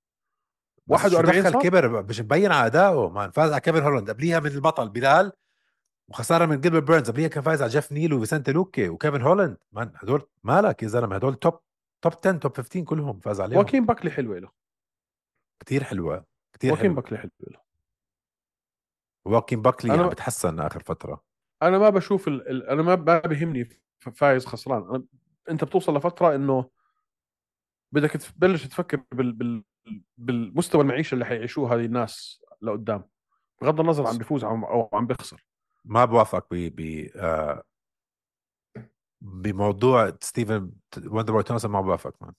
S1: شو
S2: واحد وأربعين
S1: دخل
S2: صار.
S1: كبر، مش مبين على ادائه مان. فاز على كيفن هولاند قبليها من البطل بلال، وخساره من جيلبرت بيرنز قبليها، كان فايز على جيف نيل وفيسنتي لوكي وكيفن هولاند. مان هدول مالك يا زلمه، هدول توب توب عشرة توب خمستاشر كلهم فاز عليهم.
S2: واكين باكلي حلوه له.
S1: كتير حلوة. كتير
S2: واكين
S1: حلوة.
S2: باكلي حلوه له.
S1: واكين باكلي عم
S2: انا
S1: بتحسن اخر فترة.
S2: انا ما بشوف ال... ال... انا ما ما بيهمني ف- فايز خسران. أنا... انت بتوصل لفتره انه بدك تبلش تفكر بال... بال... بالمستوى المعيشه اللي حيعيشوه هذه الناس لقدام، بغض النظر عم بيفوز او أو عم بيخسر.
S1: ما بوافق ب ب آه بموضوع ستيفن وندر بوي تومسون، ما بوافق مان.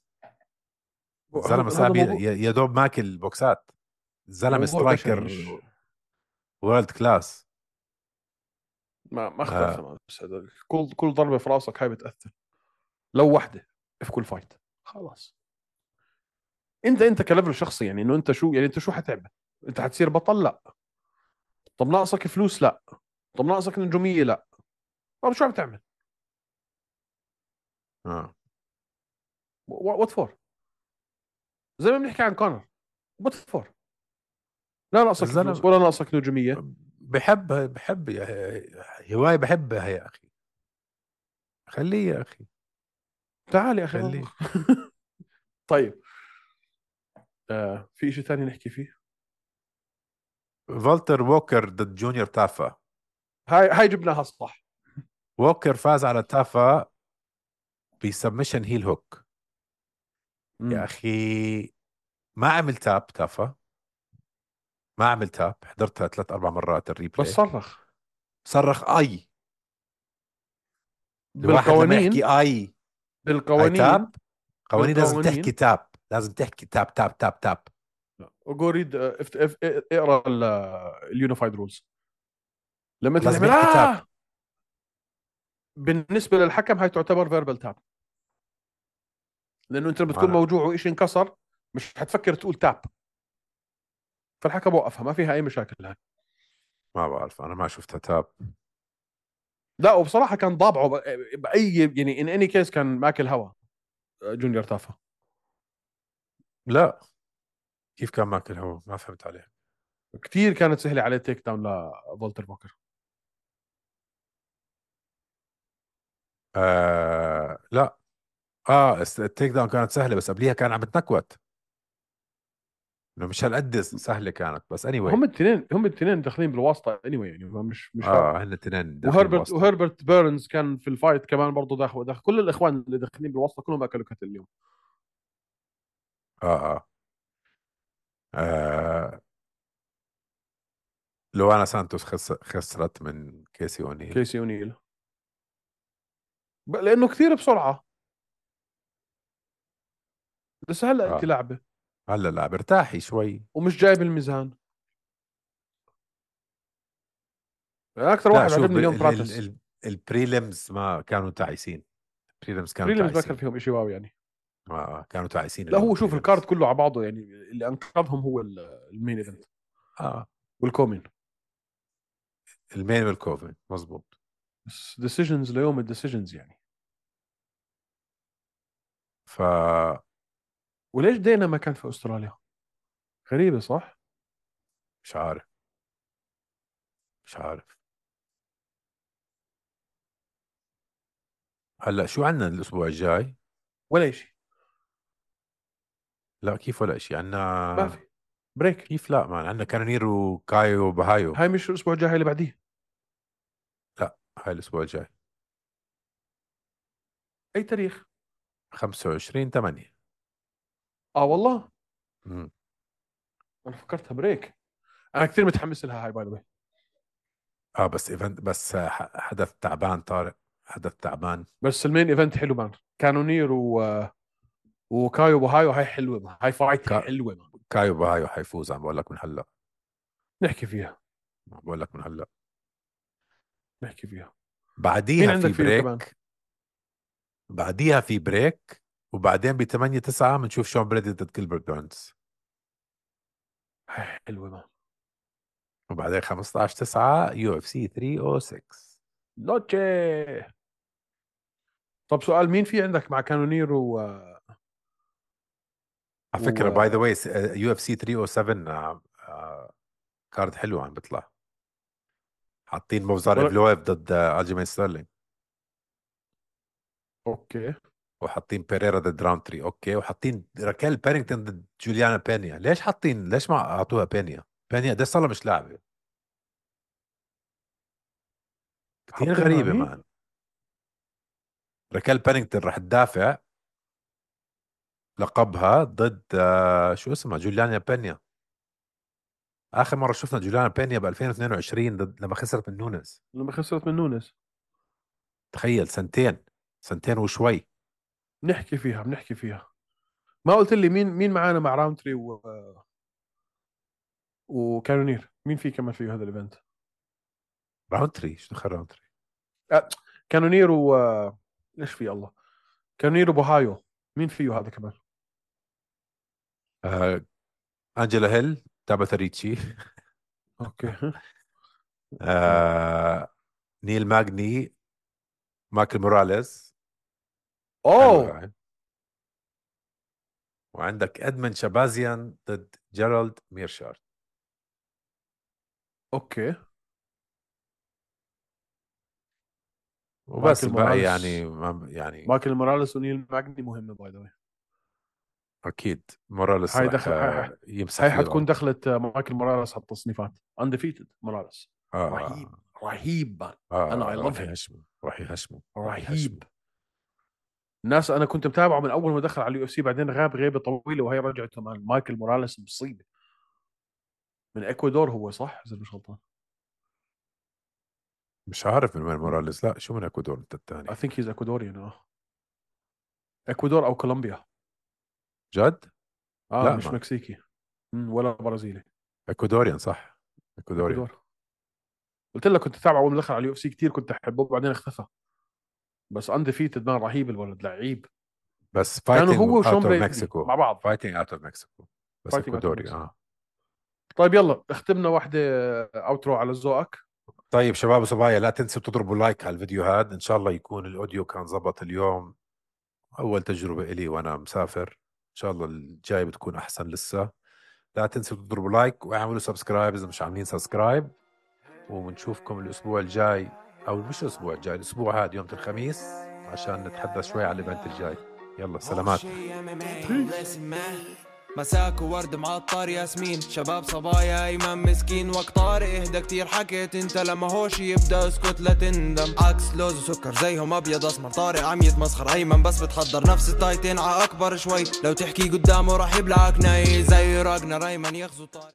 S1: الزلمة
S2: هذا هذا
S1: صعب، ي-
S2: موضوع.
S1: ي- يا دوب ماكل بوكسات. الزلمة
S2: موضوع بشري،
S1: سترايكر
S2: مش
S1: وورلد كلاس.
S2: ما ما اختلف
S1: آه
S2: تماما. بس هذا كل كل ضربه في راسك هاي بتاثر، لو واحده في كل فايت. خلاص. انت انت كليفل شخصي، يعني انه انت شو، يعني انت شو حتعمل؟ انت حتصير بطل؟ لا. طب ناقصك فلوس؟ لا. طب ناقصك نجوميه؟ لا. طب شو عم تعمل؟
S1: آه
S2: وات فور؟ زي ما بنحكي عن كونر، وات فور؟ لا ناقصك فلوس
S1: الزلمة
S2: ولا ناقصك نجوميه.
S1: بحب بحب يا- هواية بحبها يا أخي. خليه يا اخي،
S2: تعال يا اخي
S1: خليه.
S2: مطبخ. طيب، آه في شيء ثاني نحكي فيه؟
S1: فولتر ووكر ضد جونيور تافا.
S2: هاي هاي جبناها صح.
S1: ووكر فاز على تافا بسبمشن هيل هوك. يا
S2: امم
S1: اخي ما عمل تاب تافا، ما عمل تاب، حضرتها ثلاث اربع مرات
S2: بس
S1: الريبلاي.
S2: صرخ.
S1: صرخ اي. الواحد لما يحكي
S2: بالقوانين
S1: اي هاي
S2: بالقوانين
S1: تاب. قوانين لازم تحكي
S2: بالقوانين
S1: تاب، لازم تحكي تاب تاب تاب تاب.
S2: جو ريد، آه، افت- اف- اقرا اليونيفايد رولز. لما انت
S1: لازم
S2: تعمل
S1: يحكي تاب.
S2: اه بالنسبه للحكم هاي تعتبر فيربال تاب، لانه انت لما
S1: ما
S2: تكون
S1: أنا
S2: موجوع وشيء انكسر مش حتفكر تقول تاب، فالحكم وقفها، ما فيها اي مشاكل هاي.
S1: ما بعرف، انا ما شفتها تاب.
S2: لا وبصراحه كان ضابعه ب- باي يعني ان اني كيس كان ماكل هوا جونيور تافا.
S1: لا، كيف كان ماكل هو؟ ما فهمت عليه.
S2: كثير كانت سهله عليه تيك داون لفولتر بوكر.
S1: آه لا. اه الس- التيك داون كانت سهله، بس قبليها كان عم بتنكوت، انه مش هالقد سهله كانت، بس اني anyway.
S2: هم الاثنين هم الاثنين داخلين بالواسطه اني anyway، يعني ما- مش مش
S1: اه
S2: فارقه.
S1: هن الاثنين داخلين
S2: وهربرت
S1: بواسطه.
S2: وهربرت بيرنز كان في الفايت كمان برضه داخل داخل كل الاخوان اللي داخلين بالواسطه كلهم اكلوا كتل اليوم.
S1: اه اه, آه. لو انا سانتوس خس... خسرت من كيسي اونيل.
S2: كيسي اونيل ب- لانه كثير بسرعه، بس هلا انت
S1: اه
S2: لاعبه
S1: هلا لا برتاحي شوي.
S2: ومش جايب الميزان. اكثر
S1: لا
S2: واحد
S1: شوف
S2: عجبني
S1: بال...
S2: اليوم
S1: ال... ال...
S2: براتس.
S1: ال... البريلمز ما كانوا تعيسين. البريلمز كانوا
S2: بريلمز ما كان
S1: تعيسين.
S2: فيهم شيء واو يعني.
S1: آه آه، كانوا تعيسين
S2: لا
S1: اليوم
S2: هو شوف الكارد
S1: البريلمز.
S2: كله على بعضه يعني، اللي انقذهم هو ال- المين ايفنت
S1: اه
S2: والكومين.
S1: المين والكوفن مزبوط.
S2: بس ديسيجنز ليوم الديسيجنز يعني.
S1: ف
S2: وليش دينا ما كان في استراليا؟ غريبه صح.
S1: مش عارف، مش عارف. هلا شو عندنا الاسبوع الجاي؟
S2: ولا شيء.
S1: لا كيف ولا شيء
S2: ما في
S1: عندنا.
S2: بريك.
S1: كيف لا، ما عندنا كانونير وكايو وبهايو.
S2: هاي مش الاسبوع الجاي، هاي اللي بعديه.
S1: لا هاي الاسبوع الجاي.
S2: اي تاريخ؟
S1: خمسة وعشرين ثمانية.
S2: اه والله
S1: امم
S2: انا فكرتها بريك. انا كثير متحمس لها هاي باي ذا.
S1: اه بس ايفنت، بس ح- حدث تعبان طارق، حدث تعبان.
S2: بس المين ايفنت حلو مان، كانونير و... وكايو بوهايو، هاي حلوه مان. هاي فايت
S1: كا...
S2: حلوه مان.
S1: كايو بهايو حيفوز، عم بقول لك من هلا.
S2: نحكي فيها.
S1: عم بقول لك من هلا.
S2: نحكي فيها. مين
S1: بعديها
S2: عندك
S1: في
S2: فيه كمان؟
S1: بريك. بعديها في بريك. وبعدين ب ثمانية تسعة بنشوف شون بريدي ضد كيلبرت بيرنز.
S2: هاي حلوه مان.
S1: وبعدين خمسة عشر تسعة يو اف سي ثلاثمية وستة.
S2: نوتشي. طب سؤال، مين في عندك مع كانونير و...
S1: على فكرة باي ذا
S2: و...
S1: واي يو اف سي ثلاثمية وسبعة آه، آه، كارد حلو عم بيطلع. حاطين موزار
S2: ولا...
S1: ايفلويف ضد آه، الجيمين ستيرلينج.
S2: اوكي.
S1: وحاطين بيريرا ضد راونتري اوكي، وحاطين راكيل بيرينغتون ضد جوليانا بينيا. ليش حاطين، ليش ما اعطوها بينيا؟ بينيا ده صار مش لاعبة. كثير
S2: حاطينها
S1: غريبة
S2: مين؟
S1: مان. راكيل بيرينغتون رح تدافع لقبها ضد آه، شو اسمها، جوليانا بينيا. اخر مرة شفنا جوليانا بينيا ب ألفين واثنين وعشرين ضد لما خسرت من نونز.
S2: لما خسرت من نونس.
S1: تخيل سنتين، سنتين وشوي.
S2: نحكي فيها بنحكي فيها. ما قلت لي مين مين معانا مع راونتري و... وكانونير، مين في كمان في هذا الايفنت؟
S1: راونتري شو دخل راونتري؟
S2: آه. كانونير و... ايش في الله، كانونير وبوهايو، مين فيه هذا كمان؟
S1: آه انجела هيل تابا ريتشي.
S2: اوكي. اوكي.
S1: آه نيل ماجني، مايكل موراليس. حلوة
S2: اوه.
S1: هاي. وعندك ادمن شبازيان ضد جيرالد ميرشارد.
S2: اوكي.
S1: وبس
S2: مايكل
S1: بقى
S2: موراليس.
S1: يعني ما يعني
S2: مايكل موراليس ونيل ماجني مهمة باي ذا واي.
S1: اكيد موراليس
S2: هاي
S1: رح
S2: دخل هاي, هاي,
S1: يمسح
S2: هاي
S1: فيه
S2: حتكون
S1: الارض.
S2: دخلت مايكل موراليس على التصنيفات. انديفيتد موراليس.
S1: آه.
S2: رهيب رهيب
S1: آه.
S2: انا اي
S1: آه.
S2: لاف
S1: راح
S2: هيم.
S1: يهشمه راح يهشمه راح يهشمه.
S2: رهيب. الناس انا كنت متابعه من اول ما دخل على اليو اف سي، بعدين غاب غيبه طويله وهي رجعته. مان مايكل موراليس مصيبه. من اكوادور هو صح اذا مش غلطان.
S1: مش عارف من وين موراليس. لا شو من اكوادور انت الثاني؟
S2: I think he's Ecuadorian. اه اكوادور او كولومبيا.
S1: جد؟
S2: اه
S1: لا
S2: مش
S1: ما
S2: مكسيكي. مم، ولا برازيلي.
S1: اكوادوريان صح. اكوادوريان.
S2: اكوادور. قلت لك كنت اتابعه اول ما دخل على اليو اف سي كثير، كنت احبه بعدين اختفى. بس انديفيتد مان رهيب الولد لعيب.
S1: بس
S2: كانوا
S1: فايتنج
S2: هو وشون
S1: اوت اوف
S2: بريدي
S1: مكسيكو.
S2: مع بعض.
S1: فايتنج اوت اوف مكسيكو. بس
S2: فايتنج اوت
S1: اكوادوري اه.
S2: طيب يلا اختمنا واحدة اوترو على ذوقك.
S1: طيب شباب وصبايا لا تنسوا تضربوا لايك على الفيديو هذا. ان شاء الله يكون الاوديو كان زبط اليوم. اول تجربة إلي وانا مسافر. ان شاء الله الجاي بتكون احسن لسه. لا تنسوا تضربوا لايك واعملوا سبسكرايب اذا مش عاملين سبسكرايب. وبنشوفكم الاسبوع الجاي، او مش الاسبوع الجاي، الاسبوع هذا يوم الخميس عشان نتحدث شوي على الايفنت الجاي. يلا سلامات.
S3: مساك وورد معطر ياسمين، شباب صبايا ايمن مسكين. وقت طارق اهدى كتير حكيت انت، لما هوش يبدا اسكت لا تندم. عكس لوز وسكر زيهم ابيض اسمر، طارق عم يتمسخر ايمن بس بتحضر نفس التايتين ع اكبر شوي. لو تحكي قدامه راح يبلعك ناي زي راجنر ايمن يغزو طارق.